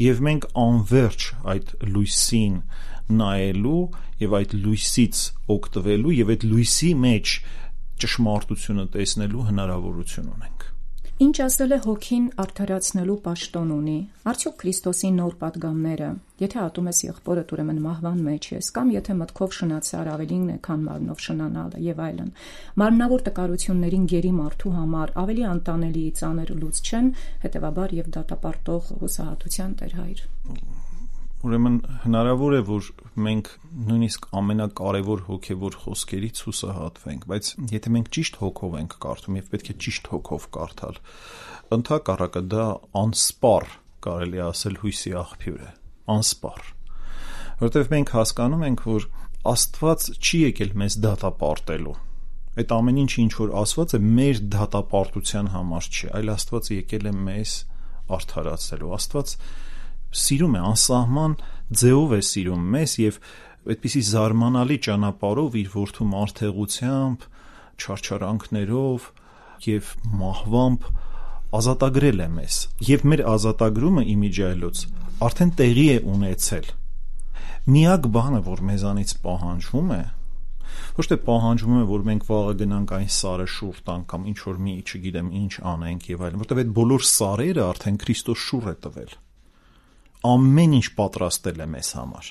Եվ մենք անverջ այդ լույսին նայելու եւ այդ լույսից օգտվելու եւ այդ լույսի մեջ ճշմարտությունը տեսնելու հնարավորություն ունենք։ Ինչ ասել է հոգին արդարացնելու պաշտոն ունի։ Արդյոք Քրիստոսի նոր պատգամները, եթե ատում ես եղբորդ, ուրեմն մահվան մեջ ես, կամ եթե մտքով շնացար ավելին է, քան մարմնով շնանալը եւ այլն, մարմնավոր տկարություններին գերի մարդու համար ավելի անտանելի ծանր լուծ չեն, հետեւաբար եւ դատապարտող հուսահատության Տեր Հայր։ Ուրեմն հնարավոր է, որ մենք նույնիսկ ամենակարևոր հոգևոր խոսքերից հուսահատվենք, բայց եթե մենք ճիշտ հոգով ենք կարդում եւ պետք է ճիշտ հոգով կարդալ, ընդհակառակը դա անսպառ, կարելի է ասել, հույսի աղբյուր է, անսպառ, որովհետեւ մենք հասկանում ենք, որ Աստված չի եկել մեզ դատապարտելու։ Այդ ամեն ինչ, ինչ որ ասված է, մեր դատապարտության համար չի, այլ Աստված եկել է մեզ արդարացնելու։ Աստված սիրում է, անսահման ձևով է սիրում մեզ եւ այդպիսի զարմանալի ճանապարհով իր որդու մարդեղությամբ, չարչարանքներով եւ մահվամբ ազատագրել է մեզ։ Եվ մեր ազատագրումը իմիջիայլոց արդեն տեղի է ունեցել։ Միակ բանը, որ մեզանից պահանջվում է, ոչ թե պահանջվում է, որ մենք վաղը գնանք այն սարը շուռ տանք կամ ինչ որ մի, չգիտեմ, ինչ անենք եւ այլն, որտեղ այդ բոլոր սարերը արդեն Քրիստոս շուռ է տվել։ Ամեն ինչ պատրաստել է մեզ համար։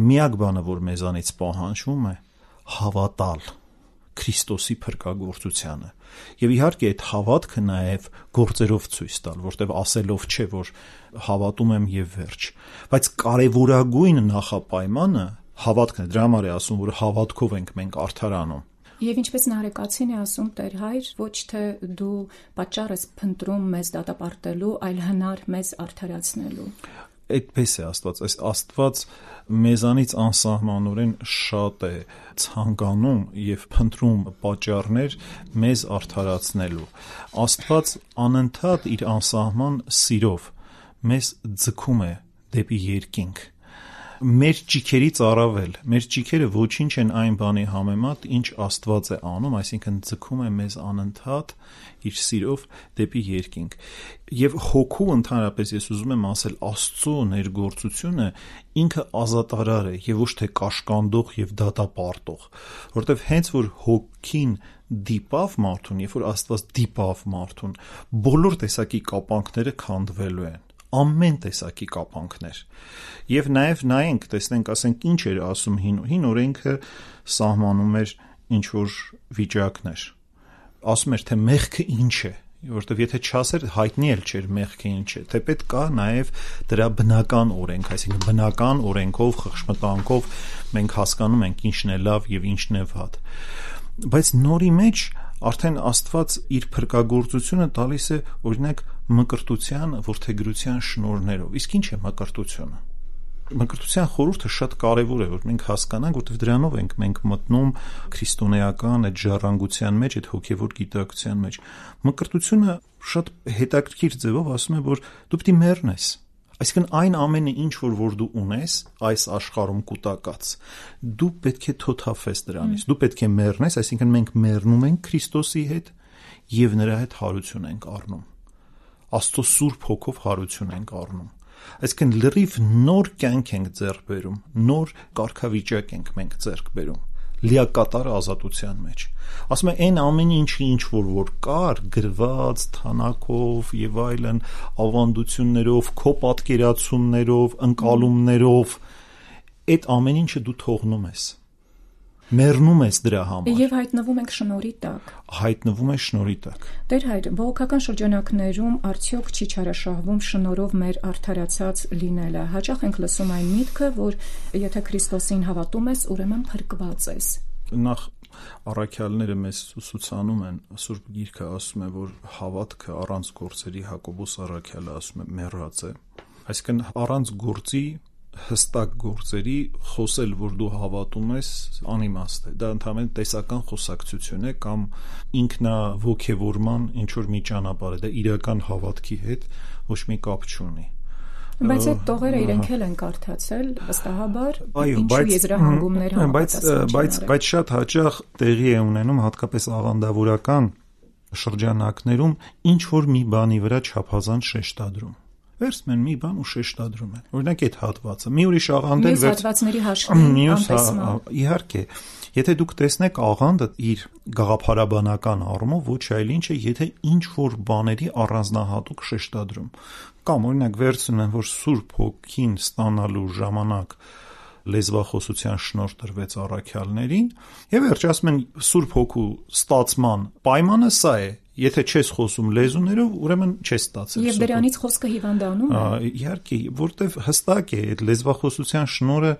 Միակ բանը, որ մեզանից պահանջվում է, հավատալ Քրիստոսի փրկagorցությանը։ Եվ իհարկե այդ հավատքը նաև գործերով ցույց տալ, որտեղ ասելով չէ, որ հավատում եմ եւ վերջ, բայց կարևորագույն նախապայմանը հավատքն է։ Դրա համար է ասում, որ հավատքով ենք մենք արդարանում։ Եվ ինչպես Նարեկացին է ասում Տեր Հայր, ոչ թե դու պատճառ ես փնտրում մեզ դատապարտելու, այլ հնար մեզ արդարացնելու։ Այդպես է Աստված, այս Աստված մեզանից անսահմանորեն շատ է ցանկանում եւ փնտրում պատճառներ մեզ արդարացնելու։ Աստված անընդհատ իր անսահման սիրով մեզ ձգում է դեպի երկինք։ Մեր ճիքերից առավել, մեր ճիքերը ոչինչ են այն բանի համեմատ, ինչ Աստված է անում, այսինքն ձգում է մեզ անընդհատ իր սիրով դեպի երկինք։ Եվ հոգու ընդհանրապես ես ուզում եմ ասել, Աստծո ներգործությունը ինքը ազատարար է եւ ոչ թե կաշկանդող եւ դատապարտող, որովհետեւ հենց որ հոգին դիպավ մարդուն, երբ որ Աստված դիպավ մարդուն, բոլոր տեսակի կապանքները քանդվելու են։ Ամեն տեսակի կապանքներ։ Եվ նաև նայենք, տեսնենք, ասենք ինչ էր ասում հին, հին օրենքը սահմանում էր ինչ որ վիճակներ։ Ասում էր, թե մեղքը ինչ է, որովհետև եթե չասեր, հայտնի էլ չէր մեղքը ինչ է, թեպետ կա նաև դրա բնական օրենք, այսինքն բնական օրենքով, խղճմտանքով մենք հասկանում ենք ինչն է լավ եւ ինչն է վատ։ Բայց նորի մեջ արդեն Աստված իր փրկagorցությունը տալիս է օրինակ մկրտության, որդեգրության շնորհներով։ Իսկ ինչ է մկրտությունը։ Մկրտության խորհուրդը շատ կարևոր է, որ մենք հասկանանք, որովհետև դրանով ենք մենք մտնում քրիստոնեական այդ ժառանգության մեջ, այդ հոգևոր գիտակցության մեջ։ Մկրտությունը շատ հետաքրքիր ձևով ասում է, որ դու պետք է մեռնես։ Այսինքն այն ամենը, ինչ որ որ դու ունես այս աշխարհում կուտակած, դու պետք է թոթափես դրանից, դու պետք է մեռնես, այսինքն մենք մեռնում ենք Քրիստոսի հետ եւ նրա հետ հարություն ենք առնում։ Աստծո Սուրբ Հոգով հարություն ենք առնում։ Այսինքն լրիվ նոր կյանք ենք ձեռք բերում, նոր կարգավիճակ ենք մենք ձեռք բերում, լիակատար ազատության մեջ։ Ասում է այն ամեն ինչը ինչ որ որ կար, գրված, թանակով եւ այլն, ավանդություններով, քո պատկերացումներով, ընկալումներով, այդ ամեն ինչը դու թողնում ես։ Մեռնում ես դրա համար։ Եվ հայտնվում ենք շնորհի տակ։ Հայտնվում է շնորհի տակ։ Տեր Հայր, բողոքական շրջանակներում արդյոք չի չարաշահվում շնորհով մեր արդարացած լինելը։ Հաճախ ենք լսում այն միտքը, որ եթե Քրիստոսին հավատում ես, ուրեմն փրկված ես։ Նախ առաքյալները մեզ ուսուցանում են, Սուրբ Գիրքը ասում է, որ հավատքը առանց գործերի, Հակոբոս առաքյալը ասում է, մեռած է։ Այսինքն առանց գործի հստակ գործերի խոսել, որ դու հավատում ես, անիմաստ է։ Դա ընդհանրապես տեսական խոսակցություն է կամ ինքնաոգևորման ինչ որ մի ճանապարհ է, դա իրական հավատքի հետ ոչ մի կապ չունի։ Բայց այդ տողերը իրենք էլ են կարդացել վստահաբար, ինչու եզրահանգումներ համապատասխան չեն արել։ Բայց բայց շատ հաճախ տեղի է ունենում հատկապես աղանդավորական շրջանակներում ինչ որ մի բանի վրա չափազանց շեշտադրում։ Վերցնում են մի բան ու շեշտադրում են։ Օրինակ այդ հատվածը։ Մի ուրիշ աղանդել վերց հատվածների հաշվին անտեսման։ Իհարկե, եթե դուք տեսնեք աղանդը իր գաղափարաբանական առումով ոչ այլ ինչ է, եթե ինչ որ բաների առանձնահատուկ շեշտադրում։ Կամ օրինակ վերցնում են, որ Սուրբ Հոգին ստանալու ժամանակ լեզվախոսության շնորհ տրվեց առաքյալներին, եւ վերջ ասում են Սուրբ Հոգու ստացման պայմանը սա է։ Եթե չես խոսում լեզուներով, ուրեմն չես ստացել։ Եվ դրանից խոսքը հիվանդանում է։ Իհարկե, որտեվ հստակ է այդ լեզվախոսության շնորհը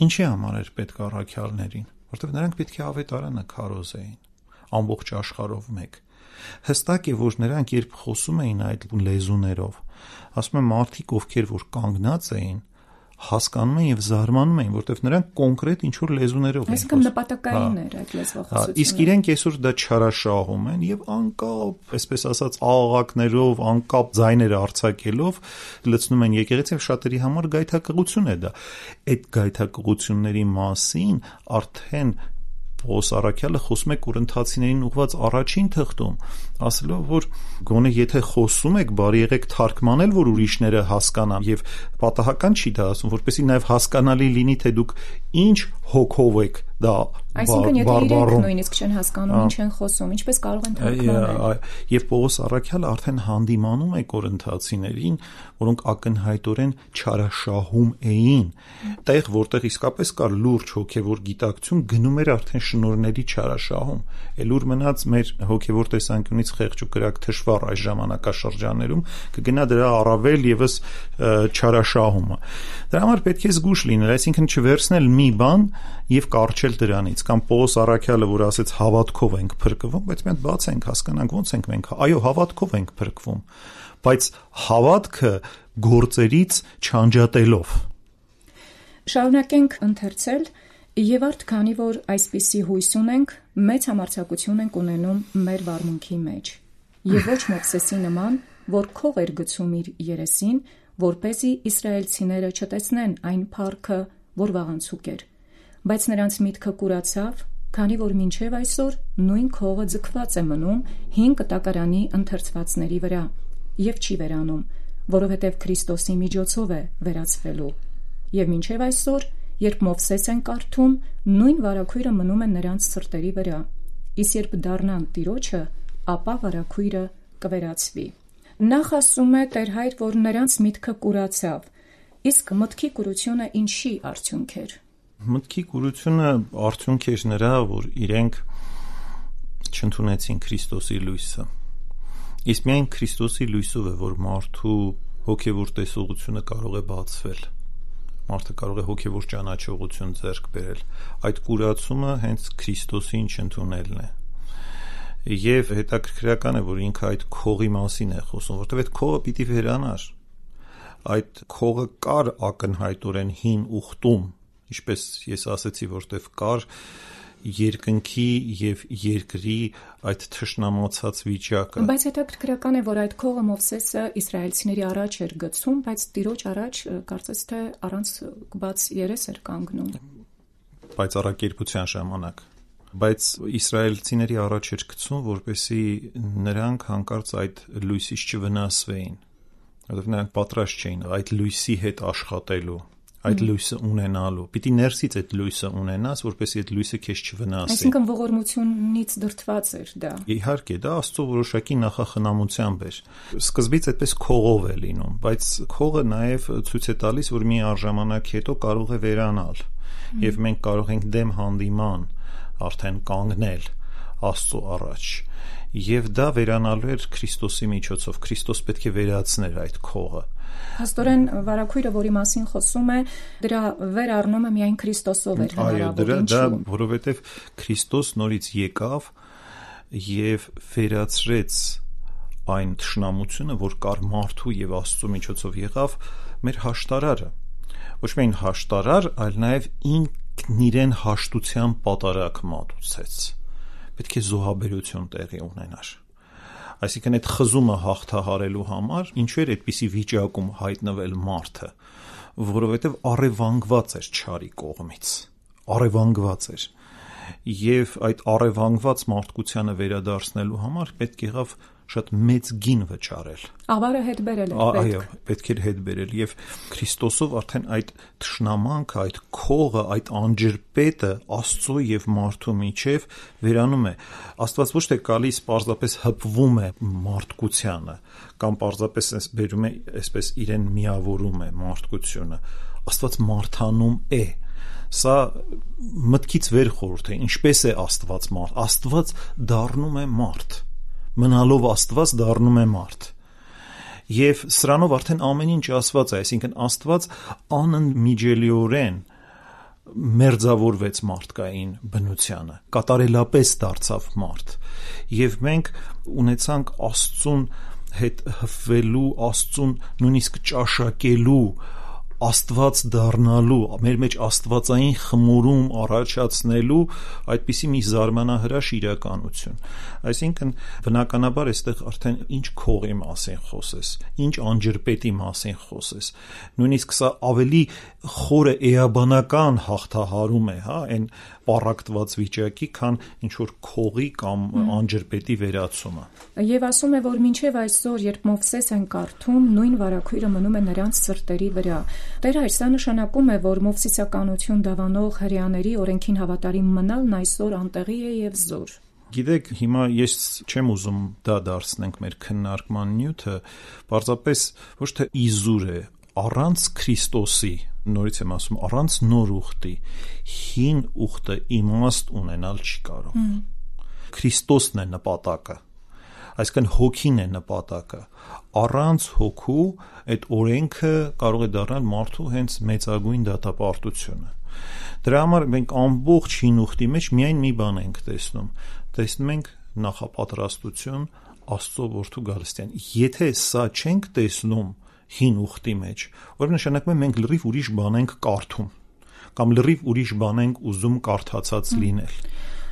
ինչի համար էր պետք առաքյալներին, որտեվ նրանք պետք է ավետարանը քարոզեին ամբողջ աշխարհով մեկ։ Հստակ է, որ նրանք երբ խոսում էին այդ լեզուներով, ասում են մարդիկ, ովքեր որ կանգնած էին, հասկանում են եւ զարմանում են, որտեվ նրանք կոնկրետ ինչ որ լեզուներով են խոսում։ Այսինքն նպատակային էր այդ լեզվախոսությունը։ Իսկ իրենք այսօր դա չարաշահում են եւ անկապ, այսպես ասած, աղաղակներով, անկապ ձայները արձակելով լցնում են եկեղեցի, շատերի համար գայթակղություն է դա։ Այդ գայթակղությունների մասին արդեն Պողոս առաքյալը խոսում է կորինթացիներին ուղված առաջին թղթում, ասելով, որ գոնե եթե խոսում եք, բարի եղեք թարգմանել, որ ուրիշները հասկանան, եւ պատահական չի դա ասում, որպեսզի նաեւ հասկանալի լինի, թե դուք ինչ հոգով եք դա Այսինքն եթե իրենք նույնիսկ չեն հասկանում ինչ են խոսում, ինչպես կարող են թարգմանել։ Եվ Պողոս առաքյալը արդեն հանդիմանում է կորինթացիներին, որոնք ակնհայտորեն չարաշահում էին, տեղ որտեղ իսկապես կար լուրջ հոգևոր գիտակցություն, գնում էր արդեն շնորհների չարաշահում։ Էլուր մնաց մեր հոգևոր տեսանկյունից խեղճ ու կրակ թշվառ այս ժամանակաշրջաններում կգնա դրա առավել եւս չարաշահումը։ Դրա համար պետք է զգուշ լինել, այսինքն չվերցնել մի բան եւ կարճել դրանից, կամ Պողոս առաքյալը, որ ասեց հավատքով ենք փրկվում, բայց մենք բացենք, հասկանանք ոնց ենք մենք, այո, հավատքով ենք փրկվում, բայց հավատքը գործերից չանջատելով։ Շարունակենք ընթերցել եւ արդ քանի որ այսպիսի հույս ունենք, մեծ համարձակություն ենք ունենում մեր վարմունքի մեջ։ Եվ ոչ Մովսեսի նման, որ քող էր գցում իր երեսին, որպեսզի իսրայելցիները չտեսնեն այն փառքը, որ վաղանցուկ էր, բայց նրանց միտքը կուրացավ, քանի որ մինչև այսօր նույն քողը ձգված է մնում հին կտակարանի ընթերցվածների վրա եւ չի վերանում, որովհետեւ Քրիստոսի միջոցով է վերացվելու։ Եվ մինչև այսօր, երբ Մովսես են կարդում, նույն վարագույրը մնում է նրանց սրտերի վրա, իսկ երբ դառնան Տիրոջը, ապա վարագույրը կվերացվի։ Նախ ասում է Տեր Հայր, որ նրանց միտքը կուրացավ, իսկ մտքի կուրությունը ինչի արդյունք էր։ Մտքի կուրությունը արդյունք էր նրա, որ իրենք չընդունեցին Քրիստոսի լույսը։ Իսկ միայն Քրիստոսի լույսով է, որ մարդու հոգևոր տեսողությունը կարող է բացվել։ Մարդը կարող է հոգևոր ճանաչողություն ձեռք բերել։ Այդ կուրացումը հենց Քրիստոսին չընդունելն է։ Եվ հետաքրքրական է, որ ինքը այդ քողի մասին է խոսում, որտեղ այդ քողը պիտի վերանար։ Այդ քողը կար ակնհայտորեն հին ուխտում, ինչպես ես ասացի, որտեղ կար երկնքի եւ երկրի այդ թշնամացած վիճակը։ Բայց հետաքրքրական է, որ այդ քողը Մովսեսը իսրայելցիների առաջ էր գցում, բայց Տիրոջ առաջ կարծես թե առանց բաց երես էր կանգնում։ Բայց առաքերպության ժամանակ։ Բայց իսրայելցիների առաջ էր գցում, որպեսզի նրանք հանկարծ այդ լույսից չվնասվեին, որովհետև նրանք պատրաստ չէին այդ լույսի հետ աշխատելու, այդ լույսը ունենալու։ Պիտի ներսից այդ լույսը ունենաս, որպեսզի այդ լույսը քեզ չվնասի։ Այսինքն ողորմությունից դրդված էր դա։ Իհարկե, դա Աստծո որոշակի նախախնամությամբ էր։ Սկզբից այդպես քողով է լինում, բայց քողը նաև ցույց է տալիս, որ մի առժամանակ հետո կարող է վերանալ, եւ մենք կարող ենք դեմ հանդիման արդեն կանգնել Աստծո առաջ, եւ դա վերանալու էր Քրիստոսի միջոցով։ Քրիստոս պետք է վերացներ այդ քողը։ Հաստորեն վարագույրը, որի մասին խոսում է, դրա վերառնումը միայն Քրիստոսով էր հնարավոր։ Այո, դա որովհետեւ Քրիստոս նորից եկավ եւ վերացրեց այն թշնամությունը, որ կար մարդու եւ Աստծո միջոցով եղավ մեր հաշտարարը։ Ոչ միայն հաշտարար, այլ նաեւ ինքն իրեն հաշտության պատարակ մատուցեց։ Պետք է զոհաբերություն տեղի ունենար։ Այսինքն այդ խզումը հաղթահարելու համար ինչու էր այդպիսի վիճակում հայտնվել մարդը, որովհետև առևանգված էր չարի կողմից, առևանգված էր, եւ այդ առևանգված մարդկությանը վերադարձնելու համար պետք եղավ շատ մեծ գին վճարել։ Ավարը հետ բերել էր պետք։ Այո, պետք էր հետ բերել եւ Քրիստոսով արդեն այդ թշնամանքը, այդ քողը, այդ անջրպետը Աստծո եւ մարդու միջև վերանում է։ Աստված ոչ թե գալիս պարզապես հպվում է մարդկությանը, կամ պարզապես այս բերում է, այսպես իրեն միավորում է մարդկությունը։ Աստված մարդանում է։ Սա մտքից վեր խորհուրդ է, ինչպես է Աստված մարդ։ Աստված դառնում է մարդ, մնալով Աստված դառնում է մարդ։ Եվ սրանով արդեն ամեն ինչ ասված է, այսինքն Աստված անընդմիջելիորեն մերձավորվեց մարդկային բնությանը, կատարելապես դարձավ մարդ։ Եվ մենք ունեցանք Աստծուն հետ հպվելու, Աստծուն նույնիսկ ճաշակելու, Աստված դառնալու, մեր մեջ աստվածային խմորում առաջացնելու այդպիսի մի զարմանահրաշ իրականություն։ Այսինքն բնականաբար այստեղ արդեն ինչ քողի մասին խոսես, ինչ անջրպետի մասին խոսես, նույնիսկ սա ավելի խորը էաբանական հաղթահարում է, հա, այն պառակտված վիճակի, քան ինչ որ քողի կամ անջրպետի վերացումը։ Եվ ասում է, որ մինչև այսօր, երբ Մովսես են կարդում, նույն վարագույրը մնում է նրանց սրտերի վրա։ Տեր հայր, սա նշանակում է, որ մովսիսականություն դավանող հրեաների օրենքին հավատարիմ մնալն այսօր անտեղի է եւ զոր։ Գիտեք, հիմա ես չեմ ուզում դա դարձնենք մեր քննարկման նյութը, պարզապես ոչ թե իզուր է, առանց Քրիստոսի, նորից եմ ասում, առանց նոր ուխտի, հին ուխտը իմաստ ունենալ չի կարող։ Քրիստոսն է նպատակը, այսինքն հոգին է նպատակը։ Առանց հոգու այդ օրենքը կարող է դառնալ մարդու հենց մեծագույն դատապարտությունը։ Դրա համար մենք ամբողջ հին ուխտի մեջ միայն մի բան ենք տեսնում, տեսնում ենք նախապատրաստություն Աստծո որդու գալստյան։ Եթե սա չենք տեսնում հին ուխտի մեջ, որ նշանակում է մենք լրիվ ուրիշ բան ենք կարդում, կամ լրիվ ուրիշ բան ենք ուզում կարդացած լինել։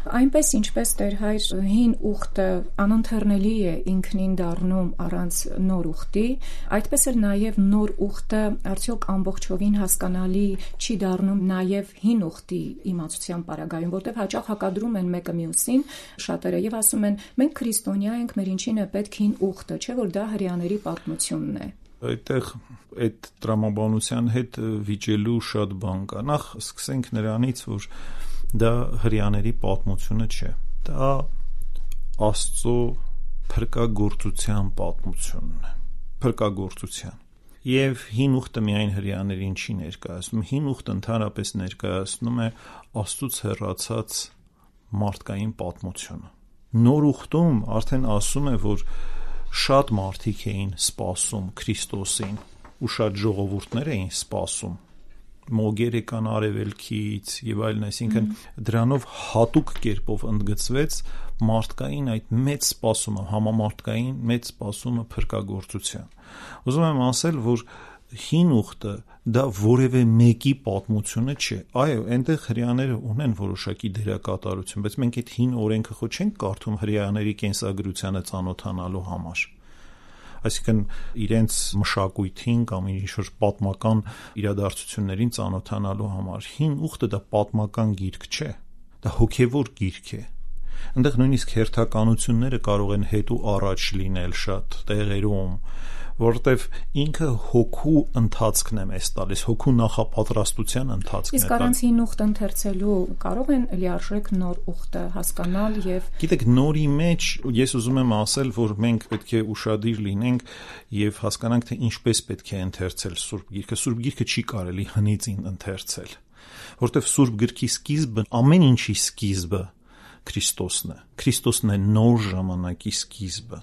Այնպես ինչպես Տեր հայր հին ուխտը անընթեռնելի է ինքնին դառնում առանց նոր ուխտի, այդպես էլ նաև նոր ուխտը արդյոք ամբողջովին հասկանալի չի դառնում նաև հին ուխտի իմացության պարագայում, որտեղ հաճախ հակադրում են մեկը մյուսին շատերը եւ ասում են մենք քրիստոնյա ենք, մեր ինչին է պետք հին ուխտը, չէ՞ որ դա հրեաների պատմությունն է։ Այդտեղ այդ տրամաբանության հետ վիճելու շատ բան կա։ Նախ սկսենք նրանից, որ դա հրեաների պատմությունը չէ, դա Աստծո փրկագործության պատմությունն է, փրկագործության։ Եվ հին ուխտը միայն հրեաներին չի ներկայացնում, հին ուխտը ընդհանրապես ներկայացնում է Աստծուց հեռացած մարդկային պատմությունը։ Նոր ուխտում արդեն ասում է, որ շատ մարդիկ էին սպասում Քրիստոսին ու շատ ժողովուրդներ էին սպասում, մոգեր եկան արևելքից եւ այլն, այսինքն դրանով հատուկ կերպով ընդգծվեց մարդկային այդ մեծ սպասումը, համամարտկային մեծ սպասումը փրկագործության։ Ուզում եմ ասել, որ հին ուխտը դա որևէ մեկի պատմությունը չէ։ Այո, այնտեղ հրեաները ունեն որոշակի դերակատարություն, բայց մենք այդ հին օրենքը խո չենք կարդում հրեաների կենսագրությանը ծանոթանալու համար։ Այսինքն իրենց մշակույթին կամ ինչ-որ պատմական իրադարձություններին ծանոթանալու համար։ Հին ուխտը դա պատմական գիրք չէ, դա հոգևոր գիրք է։ Այնտեղ նույնիսկ հերթականությունները կարող են հետ ու առաջ լինել շատ տեղերում, որտեվ ինքը հոգու ընթացքն է մեզ տալիս, հոգու նախապատրաստության ընթացքն է տալիս։ Իսկ առանց հին ուխտ ընթերցելու կարող են լիարժեք նոր ուխտը հասկանալ եւ Գիտեք, նորի մեջ ես ուզում եմ ասել, որ մենք պետք է ուշադիր լինենք եւ հասկանանք, թե ինչպես պետք է ընթերցել Սուրբ Գիրքը։ Սուրբ Գիրքը չի կարելի հնիցին ընթերցել, որտեվ Սուրբ Գրքի սկիզբը, ամեն ինչի սկիզբը Քրիստոսն է։ Քրիստոսն է նոր ժամանակի սկիզբը։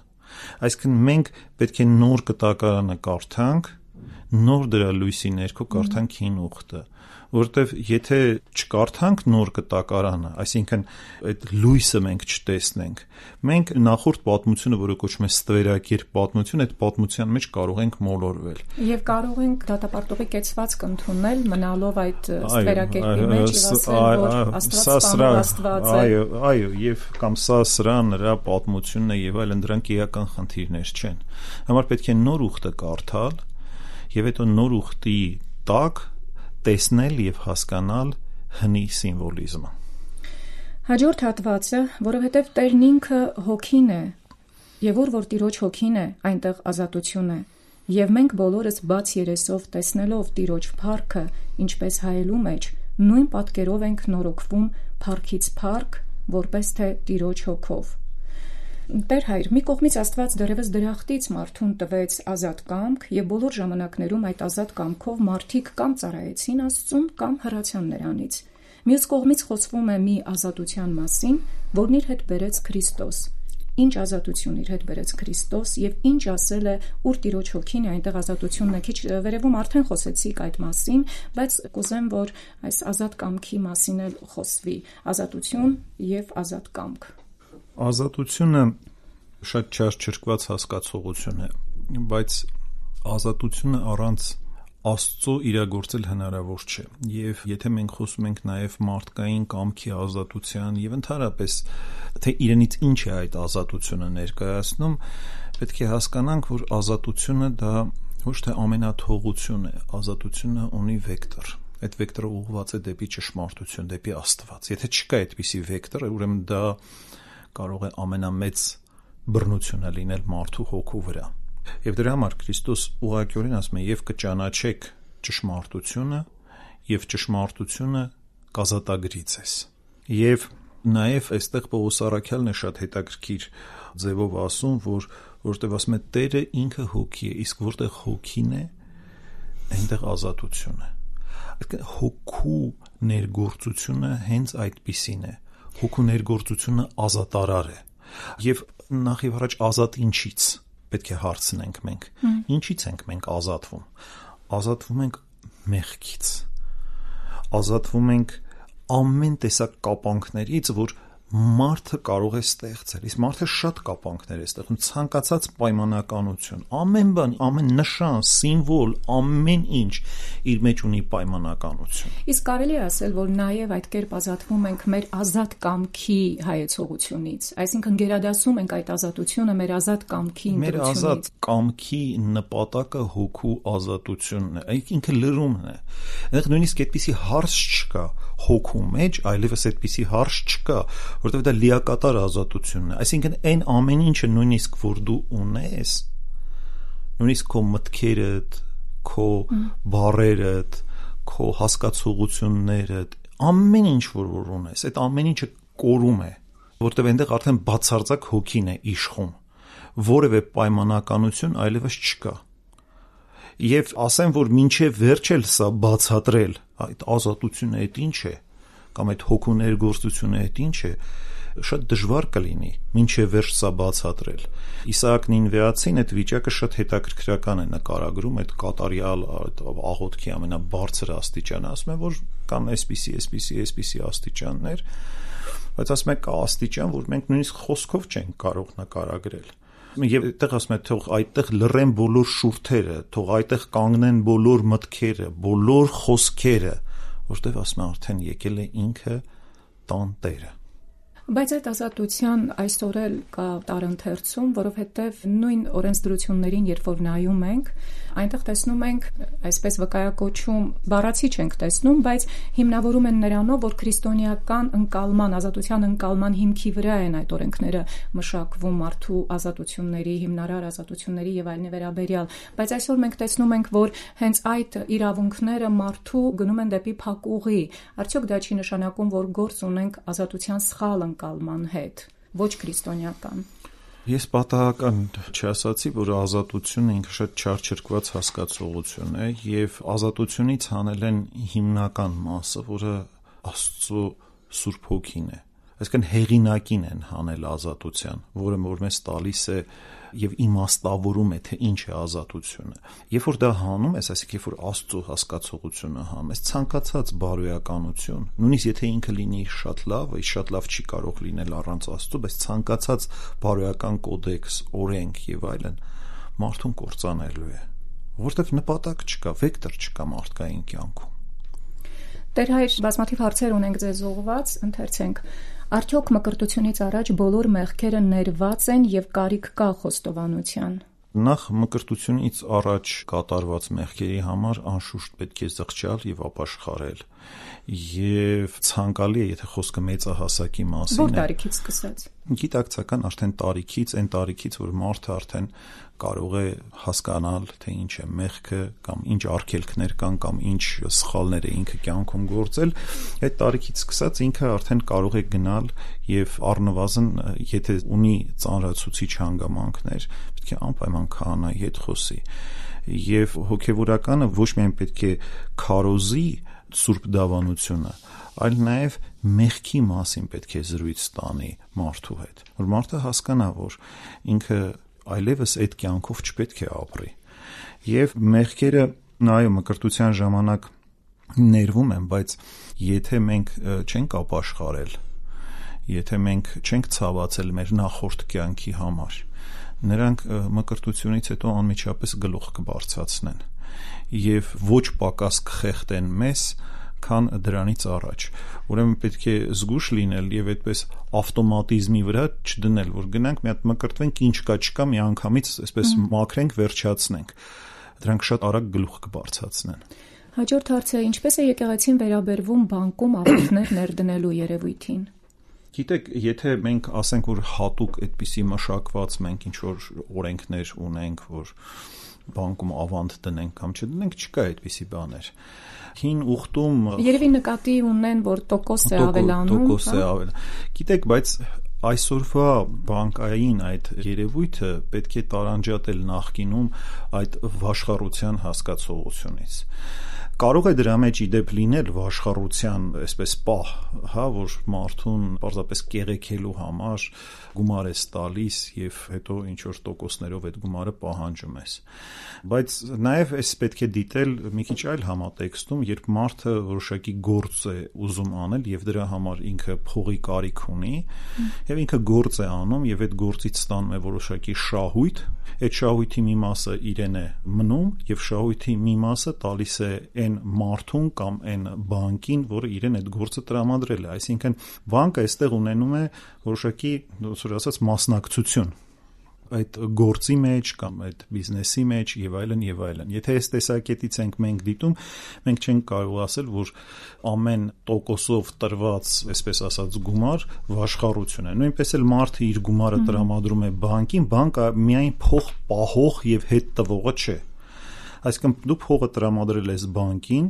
Այսինքն մենք պետք է նոր կտակարանը կարդանք, նոր դրա լույսի ներքո կարդանք հին ուխտը, որովհետև եթե չկարդանք նոր կտակարանը, այսինքն այդ լույսը մենք չտեսնենք, մենք նախորդ պատմությունը, որը կոչվում է ստվերակերպ պատմություն, այդ պատմության մեջ կարող ենք մոլորվել։ Եվ կարող ենք դատապարտողի կեցվածք ընդունել, մնալով այդ ստվերակերպի մեջ եւ ասել, որ Աստված սպանում Աստված է։ Այո, այո, եւ կամ սա սրա նրա պատմությունն է եւ այլն, դրանք էական խնդիրներ չեն։ Համար պետք է նոր ուխտը կարդալ եւ այդ նոր ուխտի տակ տեսնել եւ հասկանալ հնի սիմվոլիզմը։ Հաջորդ հատվածը, որովհետև Տերն ինքը հոգին է, եւ որ որ Տիրոջ հոգին է, այնտեղ ազատություն է, եւ մենք բոլորս բաց երեսով տեսնելով Տիրոջ փառքը, ինչպես հայելու մեջ, նույն պատկերով ենք նորոգվում փառքից փառք, որպես թե Տիրոջ հոգով։ Տեր հայր, մի կողմից Աստված դեռևս դրախտից մարդուն տվեց ազատ կամք եւ բոլոր ժամանակներում այդ ազատ կամքով մարդիկ կամ ծառայեցին Աստծուն կամ հեռացան նրանից։ Մյուս կողմից խոսվում է մի ազատության մասին, որն իր հետ բերեց Քրիստոս։ Ինչ ազատություն իր հետ բերեց Քրիստոս եւ ինչ ասել է ուր Տիրոջ հոգին է, այնտեղ ազատությունն է։ Քիչ վերևում արդեն խոսեցիք այդ մասին, բայց կուզեմ, որ այս ազատ կամքի մասին էլ խոսվի։ Ազատություն եւ ազատ կամք։ Ազատությունը շատ չարչրկված հասկացողություն է, բայց ազատությունը առանց Աստծո իրագործել հնարավոր չէ։ Եվ եթե մենք խոսում ենք նաև մարդկային կամքի ազատության եւ ընդհանրապես թե իրենից ինչ է այդ ազատությունը ներկայացնում, պետք է հասկանանք, որ ազատությունը դա ոչ թե ամենաթողություն է, ազատությունը ունի վեկտոր։ Այդ վեկտորը ուղղված է դեպի ճշմարտություն, դեպի Աստված։ Եթե չկա այդպիսի վեկտոր, ուրեմն դա կարող է ամենամեծ բռնությունը լինել մարդու հոգու վրա։ Եվ դրա համար Քրիստոս ուղղակիորեն ասում է, եւ կճանաչեք ճշմարտությունը, եւ ճշմարտությունը կազատագրի ձեզ։ Եվ նաեւ այստեղ Պողոս առաքյալն է շատ հետաքրքիր ձևով ասում, որ որտեղ ասում է Տերը ինքը հոգի է, իսկ որտեղ հոգին է, այնտեղ ազատություն է։ Այսինքն հոգու ներգործությունը հենց այդպիսին է։ Հոգու ներգործությունը ազատարար է։ Եվ նախ եւ առաջ ազատ ինչից պետք է հարցնենք մենք։ Ինչից ենք մենք ազատվում։ Ազատվում ենք մեղքից։ Ազատվում ենք ամեն տեսակ կապանքներից, որ մարդը կարող է ստեղծել։ Իսկ մարդը շատ կապանքներ է ստեղծում, ցանկացած պայմանականություն, ամեն բան, ամեն նշան, սիմվոլ, ամեն ինչ իր մեջ ունի պայմանականություն։ Իսկ կարելի է ասել, որ նաև այդ կերպ ազատվում ենք մեր ազատ կամքի հայեցողությունից, այսինքն գերադասում ենք այդ ազատությունը մեր ազատ կամքի ընտրությունից։ Մեր ազատ կամքի նպատակը հոգու ազատությունն է, այդ ինքը լրումն է։ Այնտեղ նույնիսկ այդպիսի հարց չկա հոգու մեջ, այլևս այդպիսի հարց չկա, որովհետև դա լիակատար ազատությունն է։ Այսինքն այն ամեն ինչը նույնիսկ որ դու ունես, նույնիսկ քո մտքերդ, քո բառերդ, քո հասկացողություններդ, ամեն ինչ որ որ ունես, այդ ամեն ինչը կորում է, որովհետև այնտեղ արդեն բացարձակ հոգին է իշխում, որևէ պայմանականություն այլևս չկա։ Եվ ասեմ, որ մինչև վերջ էլ սա բացատրել, այդ ազատությունը այդ ինչ է, կամ այդ հոգու ներգործությունը այդ ինչ է, շատ դժվար կլինի, մինչև վերջ սա բացատրել։ Իսահակ Նինվեացին այդ վիճակը շատ հետաքրքրական է նկարագրում, այդ կատարյալ աղոթքի ամենաբարձր աստիճանը, ասում է, որ կան այսպիսի, այսպիսի, այսպիսի աստիճաններ, բայց ասում է կա աստիճան, որ մենք նույնիսկ խոսքով չենք կարող նկարագրել։ Եվ այդտեղ ասում է, թող այդտեղ լռեն բոլոր շուրթերը, թող այդտեղ կանգնեն բոլոր մտքերը, բոլոր խոսքերը, որտեղ ասում է արդեն եկել է ինքը տան Տերը։ Բայց այդ ազատության այսօր էլ կա տարընթերցում, որովհետև նույն օրենսդրություններին, երբ որ նայում ենք, այնտեղ տեսնում ենք, այսպես վկայակոչում, բառացի չենք տեսնում, բայց հիմնավորում են նրանով, որ քրիստոնեական ընկալման, ազատության ընկալման հիմքի վրա են այդ օրենքները մշակվում մարդու ազատությունների, հիմնարար ազատությունների եւ այլնի վերաբերյալ, բայց այսօր մենք տեսնում ենք, որ հենց այդ իրավունքները մարդու գնում են դեպի փակուղի։ Արդյոք դա չի նշանակում, որ գործ ունենք ազատության սխալ ընկալման հետ, ոչ քրիստոնեական։ Ես պատահական չասացի, որ ազատությունը ինքը շատ չարչրկված հասկացողություն է եւ ազատությունից հանել են հիմնական մասը, որը Աստծո Սուրբ Հոգին է։ այսինքն հեղինակին են հանել ազատության, որը որ մեզ տալիս է եւ իմաստավորում է, թե ինչ է ազատությունը։ Երբ որ դա հանում ես, այսինքն երբ որ Աստծո հասկացողությունը հանում ես, ցանկացած բարոյականություն, նույնիսկ եթե ինքը լինի շատ լավ, այս շատ լավ չի կարող լինել առանց Աստծո, բայց ցանկացած բարոյական կոդեքս, օրենք եւ այլն մարդուն կործանելու է, որովհետեւ նպատակ չկա, վեկտոր չկա մարդկային կյանքում։ Տեր հայր, բազմաթիվ հարցեր ունենք ձեզ ուղղված, ընթերցենք. Արդյոք մկրտությունից առաջ բոլոր մեղքերը ներված են եւ կարիք կա խոստովանության։ Նախ մկրտությունից առաջ կատարված մեղքերի համար անշուշտ պետք է զղջալ եւ ապաշխարել։ Եվ ցանկալի է, եթե խոսքը մեծահասակի մասին է։ Որ տարիքից սկսած։ Գիտակցական արդեն տարիքից, այն տարիքից, որ մարդը արդեն կարող է հասկանալ, թե ինչ է մեղքը կամ ինչ արգելքներ կան կամ ինչ սխալներ է ինքը կյանքում գործել, այդ տարիքից սկսած ինքը արդեն կարող է գնալ եւ առնվազն եթե ունի ծանրացուցիչ հանգամանքներ, պետք է անպայման քահանայի հետ խոսի։ Եվ հոգեվորականը ոչ միայն պետք է քարոզի սուրբ դավանությունը, այլ նաև մեղքի մասին պետք է զրույց տանի մարդու հետ, որ մարդը հասկանա, որ ինքը այլևս այդ կյանքով չպետք է ապրի։ Եվ մեղքերը նայո մկրտության ժամանակ ներվում են, բայց եթե մենք չենք ապաշխարել, եթե մենք չենք ցավացել մեր նախորդ կյանքի համար, նրանք մկրտությունից հետո անմիջապես գլուխ կբարձրացնեն եւ ոչ պակաս կխեղդեն մեզ, քան դրանից առաջ։ Ուրեմն պետք է զգուշ լինել եւ այդպես ավտոմատիզմի վրա չդնել, որ գնանք մի հատ մկրտվենք, ինչ կա չկա, մի անգամից այսպես մաքրենք, վերջացնենք։ Դրանք շատ արագ գլուխ կբարձրացնեն։ Հաջորդ հարցը, ինչպես է եկեղեցին վերաբերվում բանկում աղոթքներ ներդնելու երևույթին։ Գիտեք, եթե մենք ասենք, որ հատուկ այդպիսի մշակված մենք ինչ որ օրենքներ ունենք, որ բանկում ավանդ դնենք կամ չդնենք, չկա այդպիսի բաներ։ Հին ուխտում երևի նկատի ունեն, որ տոկոս է ավելանում, տոկոս է ավել։ Գիտեք, բայց այսօրվա բանկային այդ երևույթը պետք է տարանջատել նախկինում այդ վաշխառության հասկացողությունից։ Կարող է դրա մեջ իդեպ լինել վաշխառության այսպես պահ, հա, որ մարդուն պարզապես կեղեքելու համար գումար ես տալիս եւ հետո ինչ որ տոկոսներով այդ գումարը պահանջում ես։ Բայց նաեւ էս պետք է դիտել մի քիչ այլ համատեքստում, երբ մարդը որոշակի գործ է ուզում անել եւ դրա համար ինքը փողի կարիք ունի եւ ինքը գործ է անում եւ այդ գործից ստանում է որոշակի շահույթ, այդ շահույթի մի մասը իրեն է մնում եւ շահույթի մի մասը տալիս է այն մարդուն կամ այն բանկին, որը իրեն այդ գործը տրամադրել է, այսինքն բանկը այստեղ ունենում է որոշակի, ոնց ասած, մասնակցություն այդ գործի մեջ կամ այդ բիզնեսի մեջ եւ այլն եւ այլն։ Եթե այս տեսակետից ենք մենք դիտում, մենք չենք կարող ասել, որ ամեն տոկոսով տրված, այսպես ասած, գումար վաշխառություն է։ Նույնպես էլ մարդը իր գումարը տրամադրում է բանկին, բանկը միայն փող պահող եւ հետ տվողը չէ։ Այսինքն դու փողը տրամադրել ես բանկին,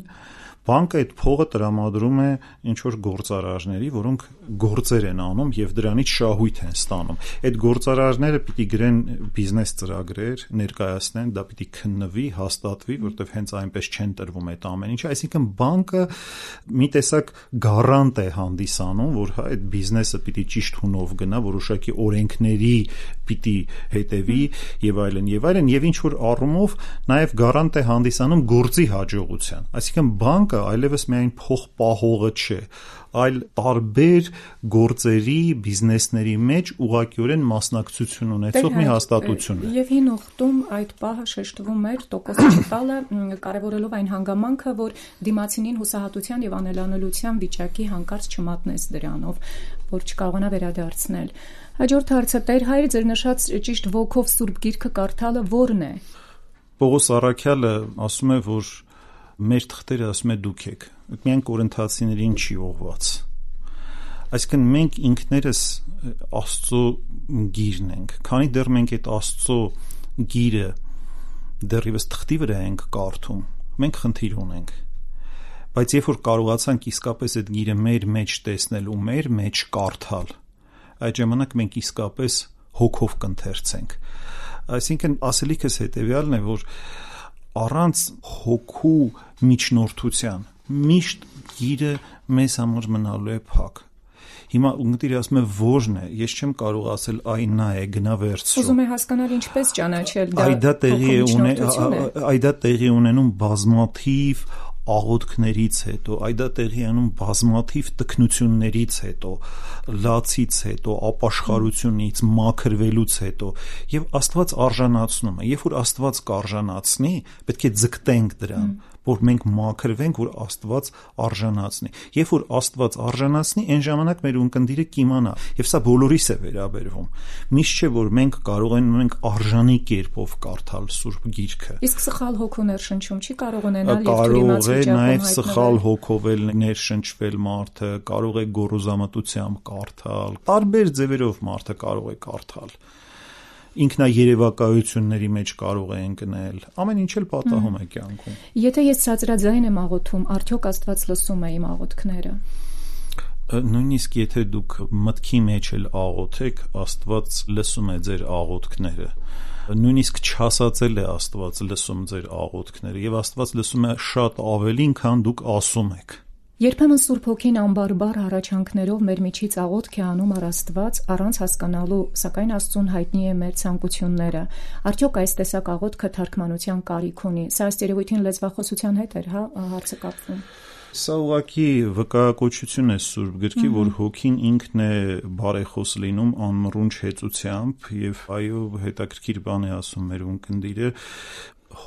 բանկը այդ փողը տրամադրում է ինչ որ գործարարների, որոնք գործեր են անում եւ դրանից շահույթ են ստանում։ Այդ գործարարները պիտի գրեն բիզնես ծրագրեր, ներկայացնեն, դա պիտի քննվի, հաստատվի, որտեղ հենց այնպես չեն տրվում այդ ամեն ինչը, այսինքն բանկը մի տեսակ գարանտ է հանդիսանում, որ հա այդ բիզնեսը պիտի ճիշտ հունով գնա, որոշակի օրենքների պիտի հետևի եւ այլն եւ այլն եւ ինչ որ առումով նաեւ գարանտ է հանդիսանում գործի հաջողության։ Այսինքն բանկը այլևս միայն փող պահողը չէ, այլ տարբեր գործերի, բիզնեսների մեջ ուղղակիորեն մասնակցություն ունեցող մի հաստատություն է։ Եվ հին ուխտում այդ պահը շեշտվում էր տոկոս չտալը, կարևորելով այն հանգամանքը, որ դիմացինին հուսահատության եւ անելանելիության վիճակի հանկարծ չմատնես դրանով, որ չկարողանա վերադարձնել։ Հաջորդ հարցը, Տեր հայր, ձեր նշած ճիշտ ոգով Սուրբ Գիրքը կարդալը ո՞րն է։ Պողոս Առաքյալը ասում է, որ մեր թղթերը ասում է դուք եք, միայն կորինթացիներին չի ուղված։ Այսինքն մենք ինքներս Աստծո գիրն ենք, քանի դեռ մենք այդ Աստծո գիրը դեռևս թղթի վրա ենք կարդում, մենք խնդիր ունենք։ Բայց երբ որ կարողացանք իսկապես այդ գիրը մեր մեջ տեսնել ու մեր մեջ կարդալ, այդ ժամանակ մենք իսկապես հոգով կընթերցենք։ Այսինքն ասելիքս հետևյալն է, որ առանց հոգու միջնորդության միշտ գիրը մեզ համար մնալու է փակ։ Հիմա ունգտիրը ասում է ո՞րն է, ես չեմ կարող ասել այ նա է, գնա վերցրու։ Ուզում է հասկանալ ինչպես ճանաչել դա։ Այ դա տեղի է ունենում, այ դա տեղի ունենում բազմաթիվ աղոթքներից հետո, այ դա տեղի անում բազմաթիվ տքնություններից հետո, լացից հետո, ապաշխարությունից, մաքրվելուց հետո, եւ Աստված արժանացնում է։ Երբ որ Աստված կարժանացնի, պետք է ձգտենք դրան, որ մենք մաքրվենք, որ Աստված արժանացնի։ Երբ որ Աստված արժանացնի, այն ժամանակ մեր ունկնդիրը կիմանա, եւ սա բոլորիս է վերաբերվում։ Միշտ չէ, որ մենք կարող ենք արժանի կերպով կարդալ Սուրբ Գիրքը։ Իսկ սխալ հոգու ներշնչում չի կարող ունենալ եւ կարող է նաեւ սխալ հոգով էլ ներշնչվել մարդը, կարող է գոռոզամտությամբ կարդալ, տարբեր ձևերով մարդը կարող է կարդալ, ինքնաերևակայությունների մեջ կարող է ընկնել, ամեն ինչ էլ պատահում է կյանքում։ Եթե ես ցածրաձայն եմ աղոթում, արդյոք Աստված լսում է իմ աղոթքները։ Նույնիսկ եթե դուք մտքի մեջ էլ աղոթեք, Աստված լսում է ձեր աղոթքները։ Նույնիսկ չասածել է Աստված լսում ձեր աղոթքները, եւ Աստված լսում է շատ ավելին, քան դուք ասում եք։ Երբեմն Սուրբ Հոգին անբարբար հառաչանքներով մեր միջից աղոթք է անում առ Աստված առանց հասկանալու, սակայն Աստծուն հայտնի է մեր ցանկությունները։ Արդյոք այս տեսակ աղոթքը թարգմանության կարիք ունի։ Սա ըստ երևույթին լեզվախոսության հետ էր, հա, հարցը կապվում։ Սա ուղղակի վկայակոչություն է Սուրբ Գրքի, որ Հոգին ինքն է բարեխոս լինում անմռունչ հեծությամբ, եւ այո, հետաքրքիր բան է ասում մեր ունկնդիրը,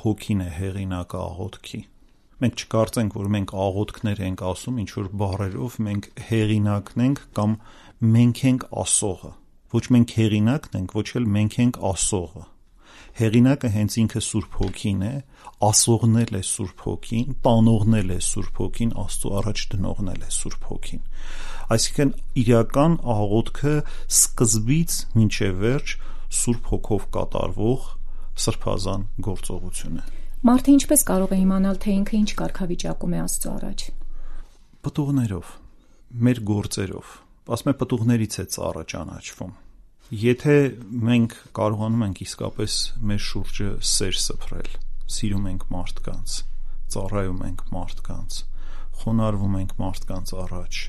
Հոգին է հեղինակը աղոթքի։ Մենք չկարծենք, որ մենք աղոթքներ ենք ասում ինչ որ բառերով, մենք հեղինակն ենք կամ մենք ենք ասողը։ Ոչ մենք հեղինակն ենք, ոչ էլ մենք ենք ասողը։ Հեղինակը հենց ինքը Սուրբ Հոգին է, ասողն էլ է Սուրբ Հոգին, տանողն էլ է Սուրբ Հոգին, Աստծո առաջ դնողն էլ է Սուրբ Հոգին։ Այսինքն իրական աղոթքը սկզբից մինչև վերջ Սուրբ Հոգով կատարվող սրբազան գործողություն է։ Մարդը ինչպես կարող է իմանալ, թե ինքը ինչ կարգավիճակում է Աստծո առաջ։ Պտուղներով, մեր գործերով։ Ասում է պտուղներից է ծառը ճանաչվում։ Եթե մենք կարողանում ենք իսկապես մեր շուրջը սեր սփռել, սիրում ենք մարդկանց, ծառայում ենք մարդկանց, խոնարհվում ենք մարդկանց առաջ,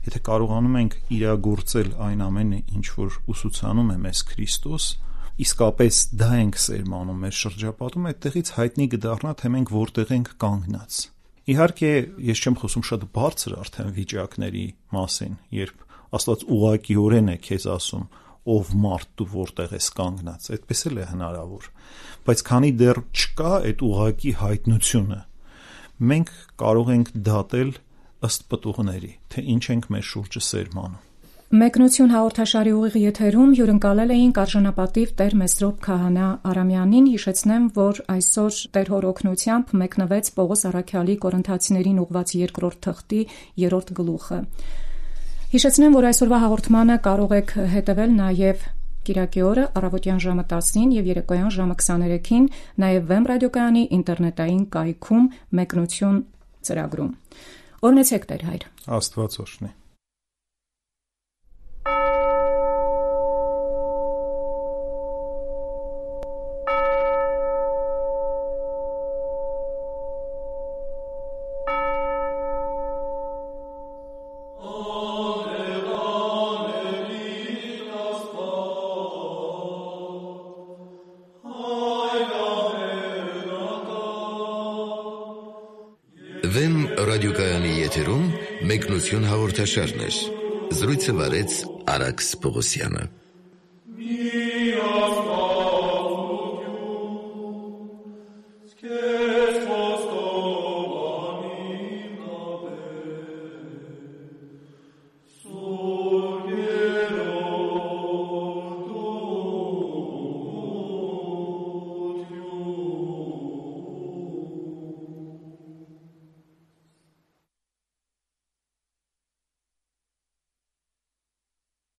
եթե կարողանում ենք իրագործել այն ամենը, ինչ որ ուսուցանում է մեզ Քրիստոս, իսկապես դա ենք սերմանում մեր շրջապատում, այդտեղից հայտնի կդառնա, թե մենք որտեղ ենք կանգնած։ Իհարկե, ես չեմ խոսում շատ բարձր արդեն վիճակների մասին, երբ Աստված ուղղակիորեն է քեզ ասում, ով մարդ դու որտեղ ես կանգնած, այդպես էլ է հնարավոր, բայց քանի դեռ չկա այդ ուղղակի հայտնությունը, մենք կարող ենք դատել ըստ պտուղների, թե ինչ ենք մեր շուրջը սերմանում։ Մեկնություն հաղորդաշարի ուղիղ եթերում հյուրընկալել էինք արժանապատիվ Տեր Մեսրոպ Քահանա Արամյանին։ Հիշեցնեմ, որ այսօր Տեր Հոր օգնությամբ մեկնվեց Պողոս առաքյալի Կորինթացիներին ուղված երկրորդ թղթի երրորդ գլուխը։ Հիշեցնեմ, որ այսօրվա հաղորդմանը կարող եք հետևել նաև կիրակի օրը առավոտյան ժամը տասին եւ երեկոյան ժամը քսաներեքին, նաև Վեմ ռադիոկայանի ինտերնետային կայքում Մեկնություն ծրագրում։ Օրհնեցեք Տեր Հայր։ Աստված օրհնի։ Վեմ ռադիոկայանի եթերում մեկնություն հաղորդաշարներ։ Զրույցը վարեց Արաքս Պողոսյանը։